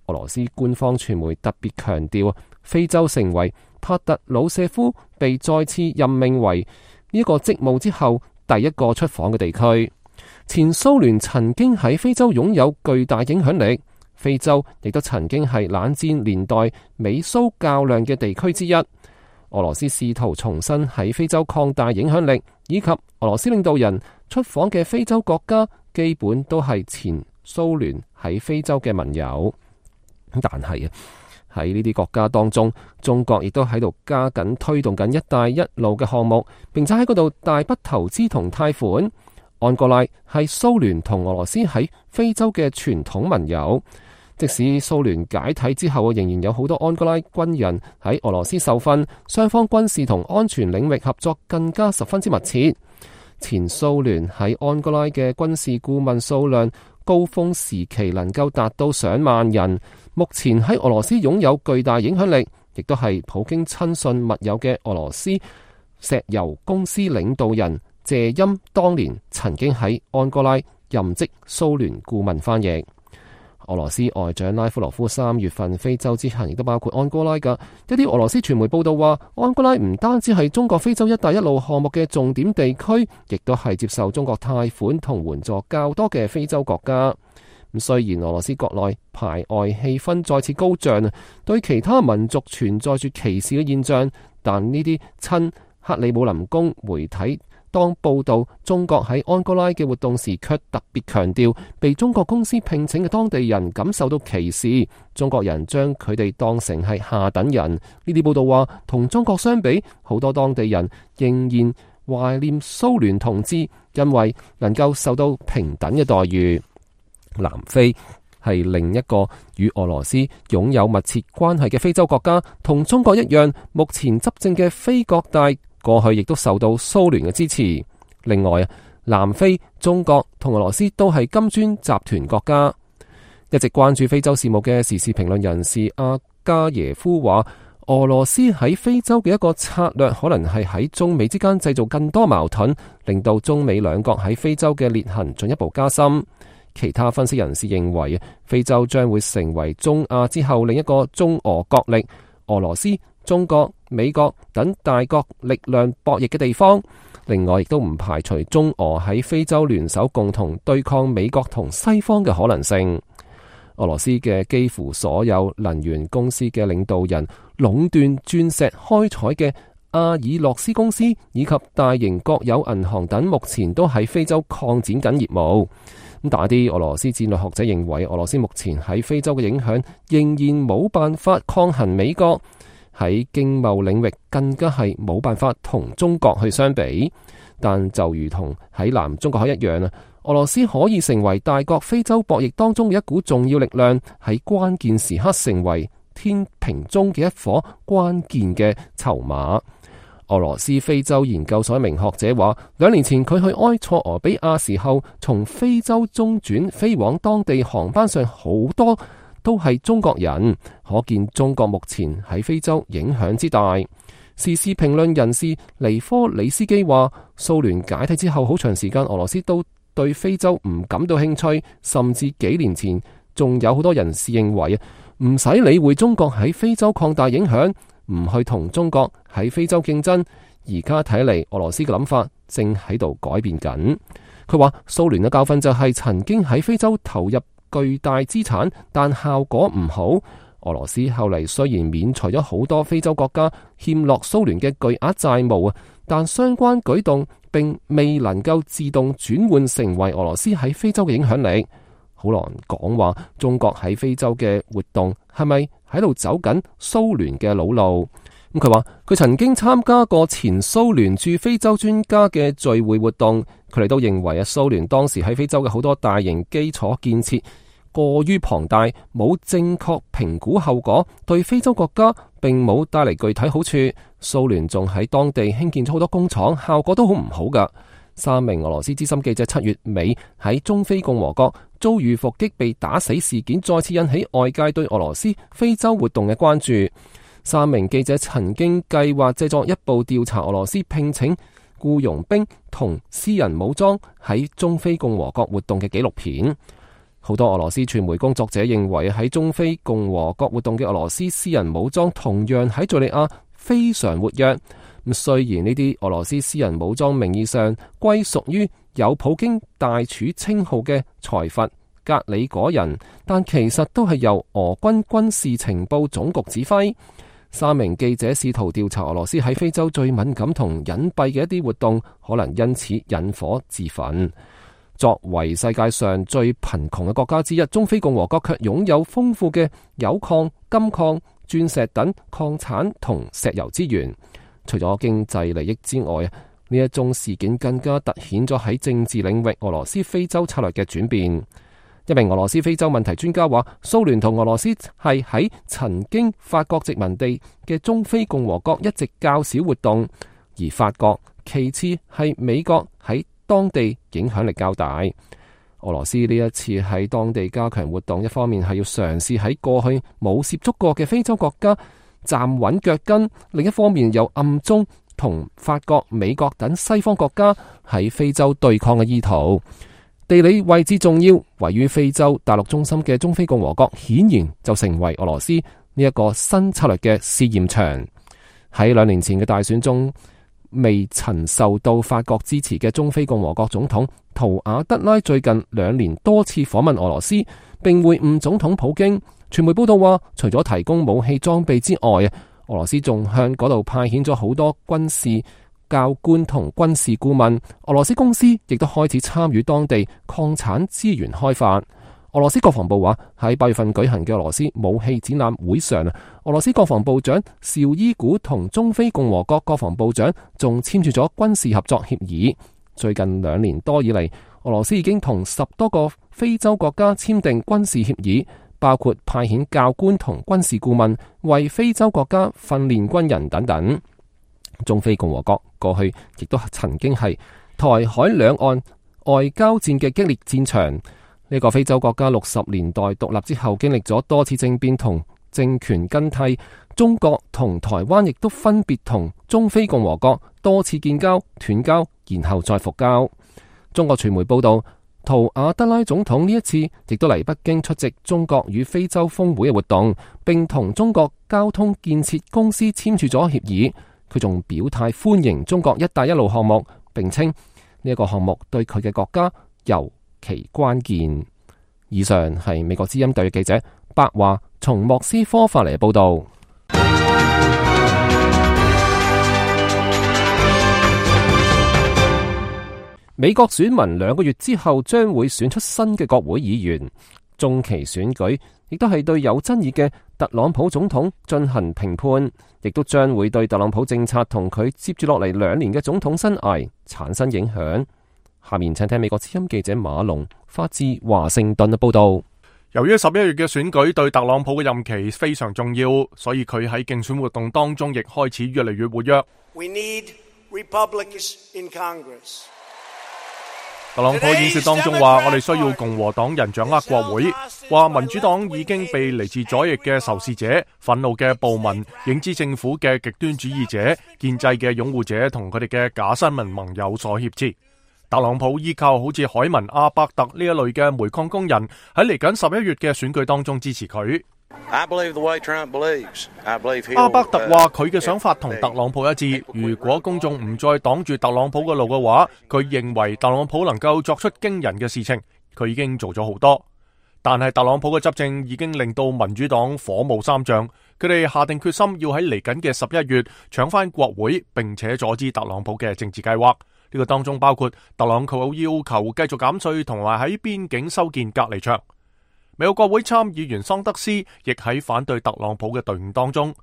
俄羅斯官方傳媒特別強調，非洲成為帕特魯舍夫被再次任命為呢個職務之後第一個出訪嘅地區。前蘇聯曾經喺非洲擁有巨大影響力，非洲亦都曾經係冷戰年代美蘇較量嘅地區之一。俄羅斯試圖重新喺非洲擴大影響力，以及俄羅斯領導人出訪嘅非洲國家，基本都係前蘇聯喺非洲嘅盟友。但係啊，喺呢啲國家當中，中國亦都喺度加緊推動緊一帶一路嘅項目，並且喺嗰度大筆投資同貸款。安哥拉係蘇聯同俄羅斯喺非洲嘅傳統盟友。即使蘇聯解體之後，仍然有好多安哥拉軍人喺俄羅斯受訓，雙方軍事同安全領域合作更加十分之密切。前蘇聯喺安哥拉嘅軍事顧問數量高峰時期能夠達到上萬人，目前喺俄羅斯擁有巨大影響力，亦都係普京親信密友嘅俄羅斯石油公司領導人謝欽，當年曾經喺安哥拉任職蘇聯顧問翻譯。俄羅斯外長拉夫羅夫三月份非洲之行亦都包括安哥拉㗎。一啲俄羅斯傳媒報道話，安哥拉唔單止係中國非洲一帶一路項目嘅重點地區，亦都係接受中國貸款同援助較多嘅非洲國家。咁雖然俄羅斯國內排外氣氛再次高漲，對其他民族存在住歧視嘅現象，但呢啲親克里姆林宮媒體當報道中國喺安哥拉嘅活動時，卻特別強調被中國公司聘請嘅當地人感受到歧視，中國人將佢哋當成係下等人。呢啲報道話，同中國相比，好多當地人仍然懷念蘇聯統治，因為能夠受到平等嘅待遇。南非係另一個與俄羅斯擁有密切關係嘅非洲國家，同中國一樣，目前執政嘅非國大過去亦都受到蘇聯嘅支持。另外，南非、中國同俄羅斯都係金磚集團國家。一直關注非洲事務嘅時事評論人士阿加耶夫話，俄羅斯喺非洲嘅一個策略可能係喺中美之間製造更多矛盾，令到中美兩國喺非洲嘅裂痕進一步加深。其他分析人士認為，非洲將會成為中亞之後另一個中俄角力。俄羅斯、中國、美國等大國力量博弈嘅地方。另外，亦都唔排除中俄喺非洲聯手共同對抗美國同西方嘅可能性。俄羅斯嘅幾乎所有能源公司嘅領導人壟斷鑽石開採嘅阿爾洛斯公司以及大型國有銀行等，目前都喺非洲擴展緊業務。咁但係啲俄羅斯戰略學者認為，俄羅斯目前喺非洲嘅影響仍然冇辦法抗衡美國。喺經貿領域更加係冇辦法同中國去相比，但就如同喺南中國海一樣啊，俄羅斯可以成為大國非洲博弈當中嘅一股重要力量，喺關鍵時刻成為天平中嘅一顆關鍵嘅籌碼。俄羅斯非洲研究所一名學者話，兩年前佢去埃塞俄比亞時候，從非洲中轉飛往當地航班上好多都係中國人，可見中國目前喺非洲影響之大。時事評論人士尼科里斯基話，蘇聯解體之後好長時間，俄羅斯都對非洲唔感到興趣，甚至幾年前仲有好多人士認為唔使理會中國喺非洲擴大影響，唔去同中國喺非洲競爭。而家睇嚟，俄羅斯嘅諗法正喺度改變緊。佢話蘇聯嘅教訓就係曾經喺非洲投入巨大資產，但效果唔好。俄羅斯後嚟雖然免除咗好多非洲國家欠落蘇聯嘅巨額債務啊，但相關舉動並未能夠自動轉換成為俄羅斯喺非洲嘅影響力。好難講話中國喺非洲嘅活動係咪喺度走緊蘇聯嘅老路。咁佢話佢曾經參加過前蘇聯駐非洲專家嘅聚會活動，佢哋都認為啊，蘇聯當時喺非洲嘅好多大型基礎建設過於龐大，冇正確評估後果，對非洲國家並冇帶嚟具體好處。蘇聯仲喺當地興建咗好多工廠，效果都好唔好噶。三名俄羅斯資深記者七月尾喺中非共和國遭遇伏擊被打死事件，再次引起外界對俄羅斯非洲活動嘅關注。三名記者曾經計劃製作一部調查俄羅斯聘請僱傭兵同私人武裝喺中非共和國活動嘅紀錄片。好多俄羅斯傳媒工作者認為喺中非共和國活動嘅俄羅斯私人武裝同樣喺敘利亞非常活躍。咁雖然呢啲俄羅斯私人武裝名義上歸屬於有普京大廚稱號嘅財閥格里果人，但其實都係由俄軍軍事情報總局指揮。三名記者試圖調查俄羅斯喺非洲最敏感同隱蔽嘅一啲活動，可能因此引火自焚。作為世界上最貧窮嘅國家之一，中非共和國卻擁有豐富嘅鈾礦、金礦、鑽石等礦產同石油資源。除咗經濟利益之外，呢一宗事件更加凸顯咗喺政治領域俄羅斯非洲策略嘅轉變。一名俄羅斯非洲問題專家話，蘇聯同俄羅斯係喺曾經法國殖民地嘅中非共和國一直較少活動，而法國其次係美國喺當地影響力較大。俄羅斯呢一次喺當地加強活動，一方面係要嘗試喺過去冇涉足過嘅非洲國家站穩腳跟，另一方面又暗中同法國、美國等西方國家喺非洲對抗嘅意圖。地理位置重要，位於非洲大陸中心嘅中非共和國顯然就成為俄羅斯呢一個新策略嘅試驗場。喺兩年前嘅大選中，未曾受到法國支持嘅中非共和國總統圖瓦德拉最近兩年多次訪問俄羅斯，並會晤總統普京。傳媒報道話，除咗提供武器裝備之外，俄羅斯仲向嗰度派遣咗好多軍事教官同軍事顧問。俄羅斯公司亦都開始參與當地礦產資源開發。俄羅斯國防部話，喺八月份舉行嘅俄羅斯武器展覽會上，俄羅斯國防部長紹伊古同中非共和國國防部長仲簽署咗軍事合作協議。最近兩年多以嚟，俄羅斯已經同十多個非洲國家簽訂軍事協議，包括派遣教官同軍事顧問為非洲國家訓練軍人等等。中非共和國過去亦都曾經係台海兩岸外交戰嘅激烈戰場。呢個非洲國家六十年代獨立之後，經歷咗多次政變同政權更替。中國同台灣亦都分別同中非共和國多次建交、斷交，然後再復交。中國傳媒報道，圖亞德拉總統呢一次亦都嚟北京出席中國與非洲峰會嘅活動，並同中國交通建設公司簽署咗協議。佢仲表態歡迎中國一帶一路項目，並稱呢一個項目對佢嘅國家尤其關鍵。以上係美國之音特約記者白華從莫斯科發嚟嘅報道。美國選民兩個月之後將會選出新嘅國會議員，中期選舉亦都係對有爭議嘅特朗普總統進行評判，亦都將會對特朗普政策同佢接住落嚟兩年嘅總統生涯產生影響。下面請聽美國之音記者馬龍發自華盛頓嘅報道。由於十一月嘅選舉對特朗普嘅任期非常重要，所以佢喺競選活動當中亦開始越嚟越活躍。We need Republicans in Congress. 特朗普演說當中話，我哋需要共和黨人掌握國會，話民主黨已經被嚟自左翼嘅仇視者、憤怒嘅暴民、影子政府嘅極端主義者、建制嘅擁護者同佢哋嘅假新聞盟友所挾持。特朗普依靠好似海文阿伯特呢一類嘅煤礦工人喺嚟緊十一月嘅選舉當中支持佢。阿伯特話佢嘅想法同特朗普一致，如果公眾唔再擋住特朗普嘅路嘅話，佢認為特朗普能夠作出驚人嘅事情，佢已經做咗好多。但係特朗普嘅執政已經令到民主黨火冒三丈，佢哋下定決心要喺嚟緊嘅十一月搶翻國會，並且阻止特朗普嘅政治計劃。呢個當中包括特朗普要求繼續減稅同埋喺邊境修建隔離牆。美國國會參議員桑德斯亦喺反對特朗普嘅隊伍當中。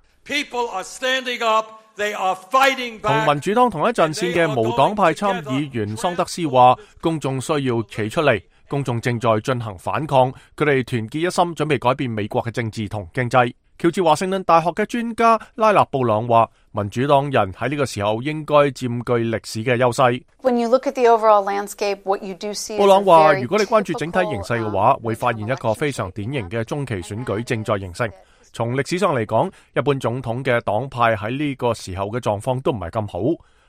同民主黨同一陣線嘅無黨派參議員桑德斯話，公眾需要企出嚟，公眾正在進行反抗，佢哋團結一心，準備改變美國嘅政治同經濟。喬治華盛頓大學嘅專家拉納布朗話，民主黨人喺呢個時候應該佔據歷史嘅優勢。布朗話，如果你關注整體形勢嘅話，會發現一個非常典型嘅中期選舉正在形成。從歷史上嚟講，一般總統嘅黨派喺呢個時候嘅狀況都唔係咁好。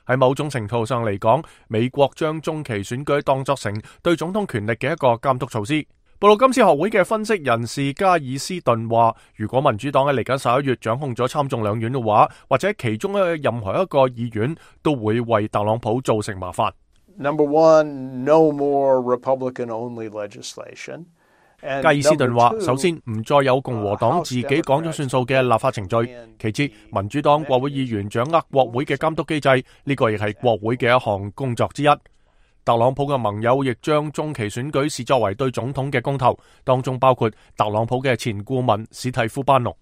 喺某種程度上嚟講，美國將中期選舉當作成對總統權力嘅一個監督措施。布魯金斯學會嘅分析人士加爾斯頓話，如果民主黨喺嚟緊十一月掌控咗參眾兩院嘅話，或者其中嘅任何一個議院都會為特朗普造成麻煩。Number one, no more Republican-only legislation. 加爾斯頓話，首先唔再有共和黨自己講咗算數嘅立法程序，其次民主黨國會議員掌握國會嘅監督機制，呢個亦係國會嘅一項工作之一。特朗普嘅盟友亦將中期選舉視作為對總統嘅公投，當中包括特朗普嘅前顧問史蒂夫班農。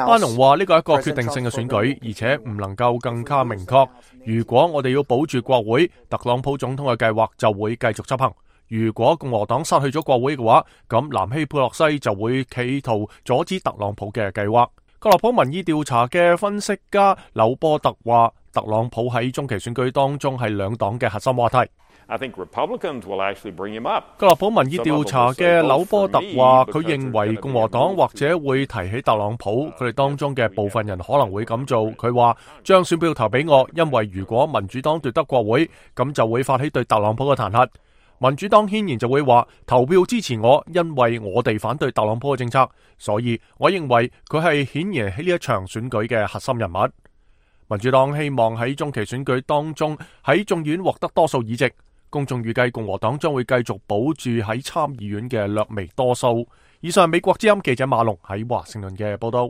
班農話呢個係一個決定性嘅選舉，而且唔能夠更加明確。如果我哋要保住國會，特朗普總統嘅計劃就會繼續執行。如果共和黨失去咗國會嘅話，咁南希佩洛西就會企圖阻止特朗普嘅計劃。格洛普民意調查嘅分析家柳波特話，特朗普喺中期選舉當中係兩黨嘅核心話題。I think Republicans will actually bring him up. 格洛普民意調查嘅柳波特話，佢認為共和黨或者會提起特朗普，佢哋當中嘅部分人可能會咁做。佢話將選票投俾我，因為如果民主黨奪得國會，咁就會發起對特朗普嘅彈劾。民主黨顯然就會話投票支持我，因為我哋反對特朗普嘅政策，所以我認為佢係顯然喺呢一場選舉嘅核心人物。民主黨希望喺中期選舉當中喺眾院獲得多數議席，公眾預計共和黨將會繼續保住喺參議院嘅略微多數。以上美國之音記者馬龍喺華盛頓嘅報道。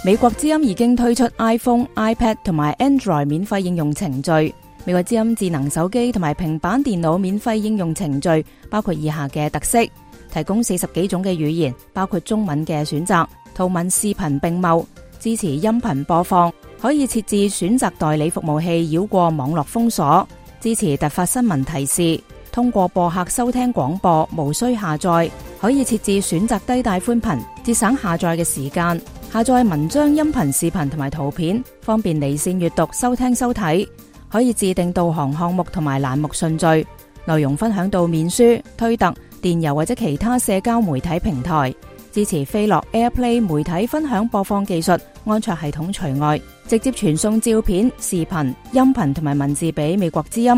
美國之音已經推出 iPhone、iPad 同埋 Android 免費應用程序。美國之音智能手機同埋平板電腦免費應用程序包括以下嘅特色：提供四十幾種嘅語言，包括中文嘅選擇，圖文視頻並茂，支持音頻播放，可以設置選擇代理服務器繞過網絡封鎖，支持突發新聞提示，通過播客收聽廣播，無需下載，可以設置選擇低帶寬頻，節省下載嘅時間，下載文章、音頻、視頻同埋圖片，方便離線閱讀、收聽收睇。可以自定導航項目同埋欄目順序，內容分享到面書、推特、電郵或者其他社交媒體平台，支持飛樂 AirPlay 媒體分享播放技術，安卓系統除外。直接傳送照片、視頻、音頻同埋文字俾美國之音。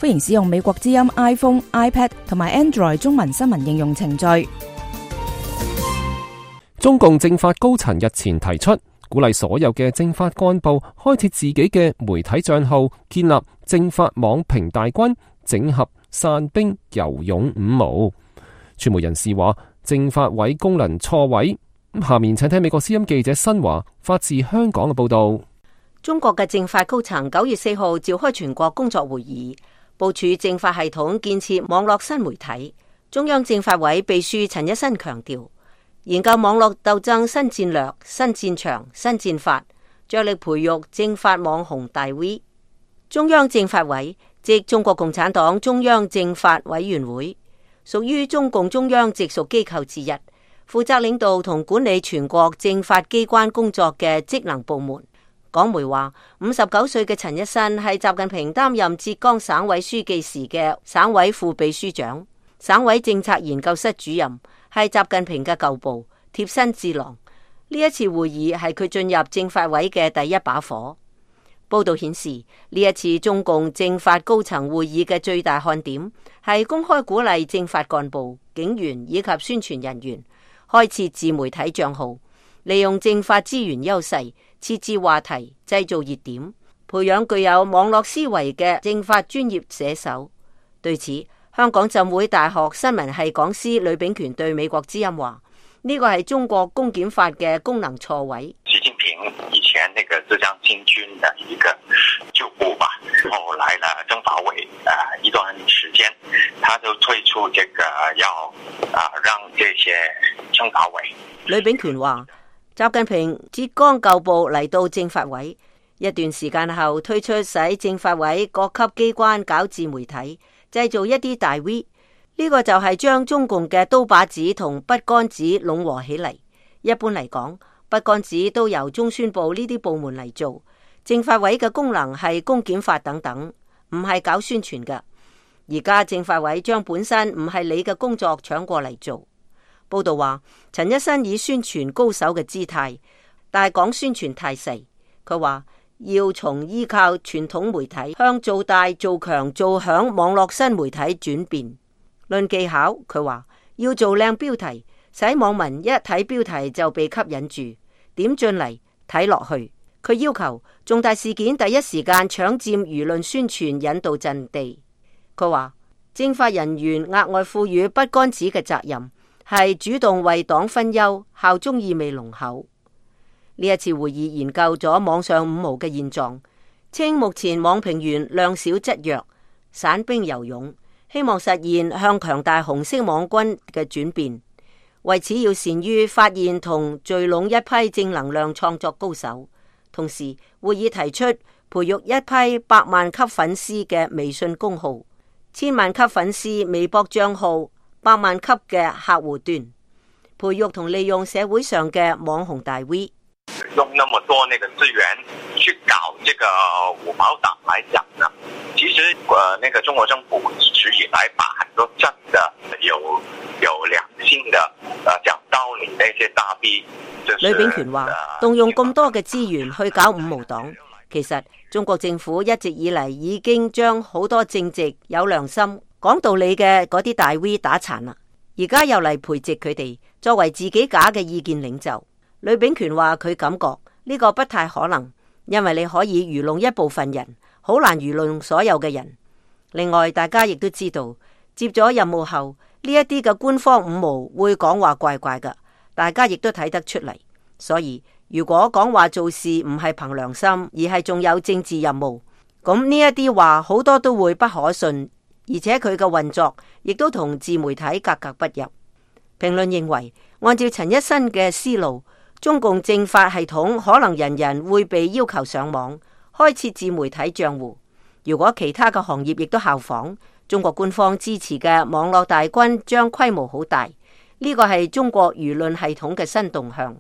歡迎使用美國之音 iPhone、iPad 同埋 Android 中文新聞應用程序。中共政法高層日前提出，鼓勵所有嘅政法幹部開設自己嘅媒體賬號，建立政法網評大軍，整合散兵游勇五毛。傳媒人士話，政法委功能錯位。下面請聽美國之音記者新華發自香港嘅報道。中國嘅政法高層九月四號召開全國工作會議，部署政法系統建設網絡新媒體。中央政法委秘書陳一新強調，研究網絡鬥爭新戰略、新戰場、新戰法，着力培育政法網紅大 V。中央政法委即中國共產黨中央政法委員會，屬於中共中央直屬機構之一，負責領導同管理全國政法機關工作嘅職能部門。港媒話，五十九歲嘅陳一新係習近平擔任浙江省委書記時嘅省委副秘書長，省委政策研究室主任，係習近平嘅舊部貼身智囊。呢一次會議係佢進入政法委嘅第一把火。報道顯示，呢一次中共政法高層會議嘅最大看點係公開鼓勵政法幹部、警員以及宣傳人員開設自媒體賬號，利用政法資源優勢，設置話題，製造熱點，培養具有網絡思維嘅政法專業寫手。對此，香港浸會大學新聞系講師呂秉權對美國之音話：呢個係中國公檢法嘅功能錯位。習近平以前那個浙江新軍的一個舊部吧，後來呢政法委啊一段時間，他就推出這個要啊讓這些政法委。呂秉權話：習近平浙江舊部嚟到政法委一段時間後，推出使政法委各級機關搞自媒體，製造一啲大 V。呢個就係將中共嘅刀把子同筆桿子攏和起嚟。一般嚟講，筆桿子都由中宣部呢啲部門嚟做，政法委嘅功能係公檢法等等，唔係搞宣傳嘅。而家政法委將本身唔係你嘅工作搶過嚟做。報道話，陳一新以宣傳高手嘅姿態，但係講宣傳太細。佢話要從依靠傳統媒體向做大、做強、做響網絡新媒體轉變。論技巧，佢話要做靚標題，使網民一睇標題就被吸引住，點進嚟睇落去。佢要求重大事件第一時間搶佔輿論宣傳引導陣地。佢話政法人員額外賦予筆桿子嘅責任係主動為黨分憂，效忠意味濃厚。呢一次會議研究咗網上五毛嘅現狀，稱目前網評員量少質弱，散兵游勇，希望實現向強大紅色網軍嘅轉變。為此要善於發現同聚攏一批正能量創作高手。同時會議提出培育一批百萬級粉絲嘅微信公號、千萬級粉絲微博賬號、百萬級嘅客戶端，培育同利用社會上嘅網紅大 V。用那麼多那個資源去搞這個五毛黨來講呢，其實呃那個中國政府一直以來把很多真的有有良心的呃講道理那些大 V，呂秉權話動用咁多嘅資源去搞五毛黨，其實中國政府一直以嚟已經將好多正直有良心講道理嘅嗰啲大 V 打殘啦，而家又嚟培植佢哋作為自己假嘅意見領袖。呂秉權話佢感覺呢個不太可能，因為你可以愚弄一部分人，好難愚弄所有嘅人。另外，大家亦都知道接咗任務後呢一啲嘅官方五毛會講話怪怪㗎，大家亦都睇得出嚟。所以如果講話做事唔係憑良心，而係仲有政治任務，咁呢一啲話好多都會不可信，而且佢嘅運作亦都同自媒體格格不入。評論認為，按照陳一新嘅思路，中共政法系統可能人人會被要求上網開設自媒體賬戶。如果其他嘅行業亦都效仿，中國官方支持嘅網絡大軍將規模好大。呢個係中國輿論系統嘅新動向。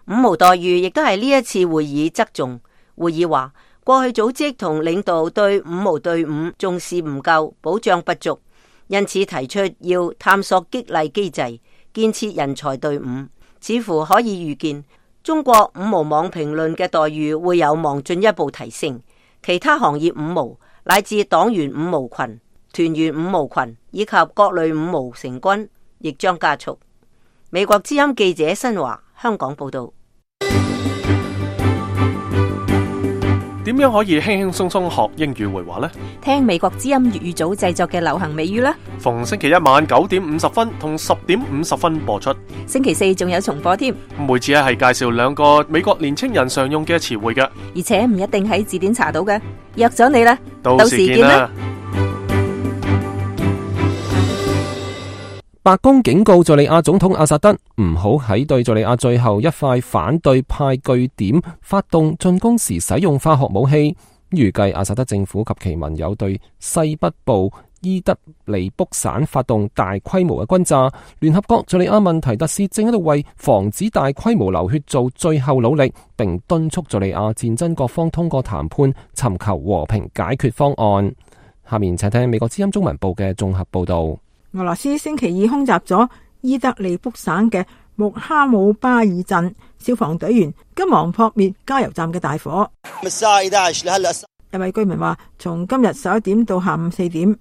五毛待遇亦都係呢一次會議側重。會議話，過去組織同領導對五毛隊伍重視唔夠，保障不足，因此提出要探索激勵機制，建設人才隊伍。似乎可以預見，中國五毛網評論嘅待遇會有望進一步提升，其他行業五毛乃至黨員五毛群、團員五毛群以及各類五毛成軍亦將加速。美國之音記者新華香港報道。點樣可以輕輕鬆鬆學英語會話呢？聽美國之音粵語組製作嘅流行美語啦。逢星期一晚九點五十分同十點五十分播出。星期四仲有重播添。每次咧係介紹兩個美國年青人常用嘅詞彙嘅，而且唔一定喺字典查到嘅。約咗你啦，到時見啦。白宮警告敘利亞總統阿薩德唔好喺對敘利亞最後一塊反對派據點發動進攻時使用化學武器。預計阿薩德政府及其盟友對西北部伊德利卜省發動大規模嘅轟炸。聯合國敘利亞問題特使正喺度為防止大規模流血做最後努力，並敦促敘利亞戰爭各方通過談判尋求和平解決方案。下面請聽美國之音中文部嘅綜合報道。俄羅斯星期二空襲咗伊德利卜省嘅穆哈姆巴爾鎮，消防隊員急忙撲滅加油站嘅大火。一位居民話，從今日十一點到下午四點，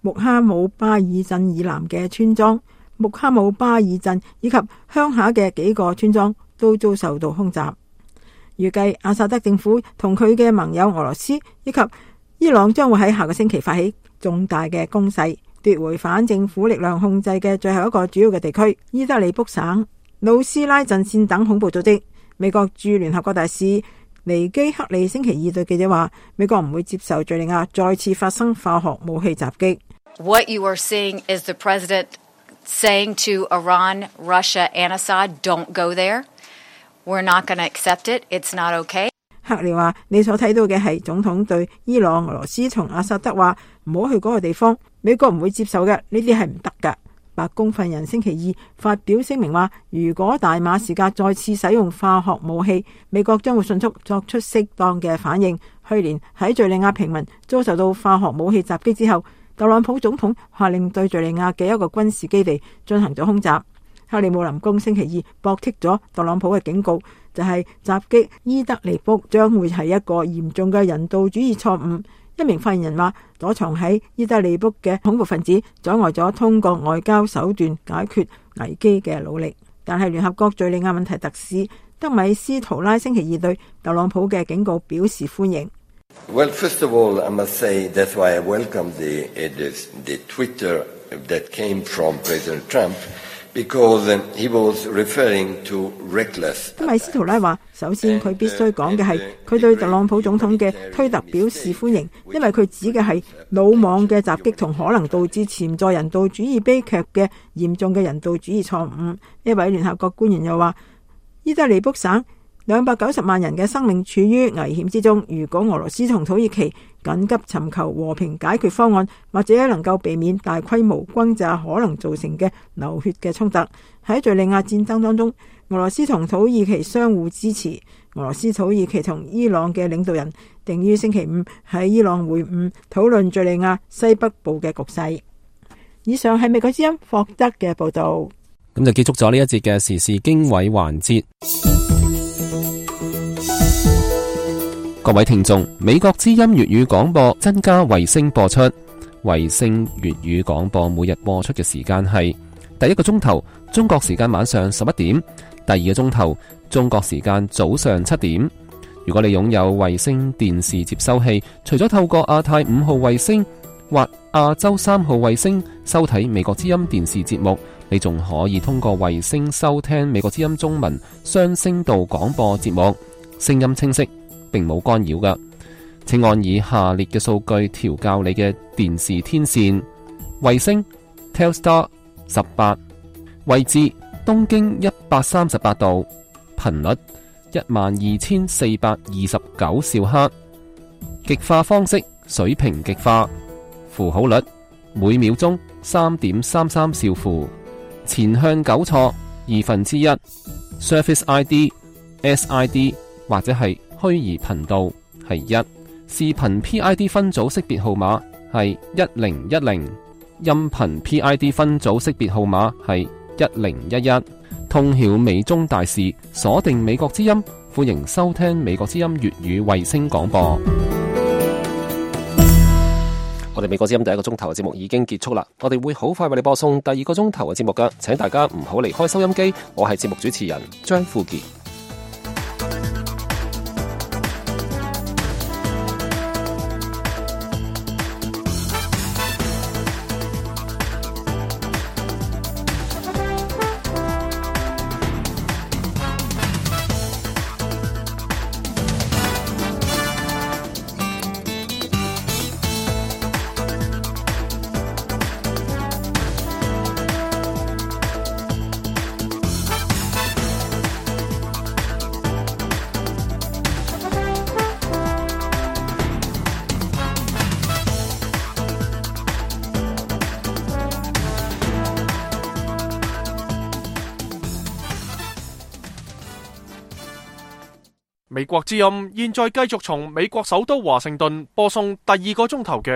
穆哈姆巴爾鎮以南嘅村莊、穆哈姆巴爾鎮以及鄉下嘅幾個村莊都遭受到空襲。預計阿薩德政府同佢嘅盟友俄羅斯以及伊朗將會喺下個星期發起重大嘅攻勢，奪回反政府力量控制嘅最後一個主要嘅地區伊德利卜省。努斯拉陣線等恐怖組織。美國駐聯合國大使尼基克利星期二對記者話，美國唔會接受敘利亞再次發生化學武器襲擊。What you are seeing is the president saying to Iran, Russia, and Assad, don't go there. We're not going to accept it. It's not okay. 克利話，你所睇到嘅係總統對伊朗、俄羅斯同阿薩德話唔好去嗰個地方，美國唔會接受嘅，呢啲係唔得㗎。白宮發言人星期二發表聲明話，如果大馬士革再次使用化學武器，美國將會迅速作出適當嘅反應。去年喺敘利亞平民遭受到化學武器襲擊之後，特朗普總統下令對敘利亞嘅一個軍事基地進行咗空襲。克里姆林宮星期二駁斥咗特朗普嘅警告，就係襲擊伊德利卜將會係一個嚴重嘅人道主義錯誤。一名發言人話，躲藏喺伊德利卜嘅恐怖分子阻礙咗通過外交手段解決危機嘅努力。但係聯合國敘利亞問題特使德米斯圖拉星期二對特朗普嘅警告表示歡迎。Well, first of all, I must say that's why I welcome the, the Twitter that came from President Trump.Because he was referring to reckless. 德米斯圖拉話，首先佢必須講嘅係佢對特朗普總統嘅推特表示歡迎，因為佢指嘅係魯莽嘅襲擊同可能導致潛在人道主義悲劇嘅嚴重嘅人道主義錯誤。一位聯合國官員又話，伊德利卜省兩百九十萬人嘅生命處於危險之中，如果俄羅斯同土耳其緊急尋求和平解決方案，或者能夠避免大規模轟炸可能造成嘅流血嘅衝突。喺敘利亞戰爭當中，俄羅斯同土耳其相互支持。俄羅斯、土耳其同伊朗嘅領導人定於星期五喺伊朗會晤，討論敘利亞西北部嘅局勢。以上係美國之音霍德嘅報道。咁就結束咗呢一節嘅時事經緯環節。各位聽眾，美國之音粵語廣播增加衛星播出。衛星粵語廣播每日播出嘅時間係第一個鐘頭中國時間晚上十一點，第二個鐘頭中國時間早上七點。如果你擁有衛星電視接收器，除咗透過亞太五號衛星或亞洲三號衛星收睇美國之音電視節目，你仲可以通過衛星收聽美國之音中文雙聲道廣播節目，聲音清晰，並冇干擾㗎。請按以下列嘅數據調校你嘅電視天線：衛星 Telstar 十八，位置東經一百三十八度，頻率一萬二千四百二十九兆赫，極化方式水平極化，符號率每秒鐘三點三三兆符，前向糾錯二分之一 ，Surface I D、S I D 或者係虛擬頻道係一，視頻 P I D 分組識別號碼係一零一零，音頻 P I D 分組識別號碼係一零一一，通曉美中大事，鎖定美國之音，歡迎收聽美國之音粵語衛星廣播。我哋美國之音第一個鐘頭嘅節目已經結束啦，我哋會好快為你播送第二個鐘頭嘅節目噶，請大家唔好離開收音機。我係節目主持人張富傑。美國之音現在繼續從美國首都華盛頓播送第二個鐘頭嘅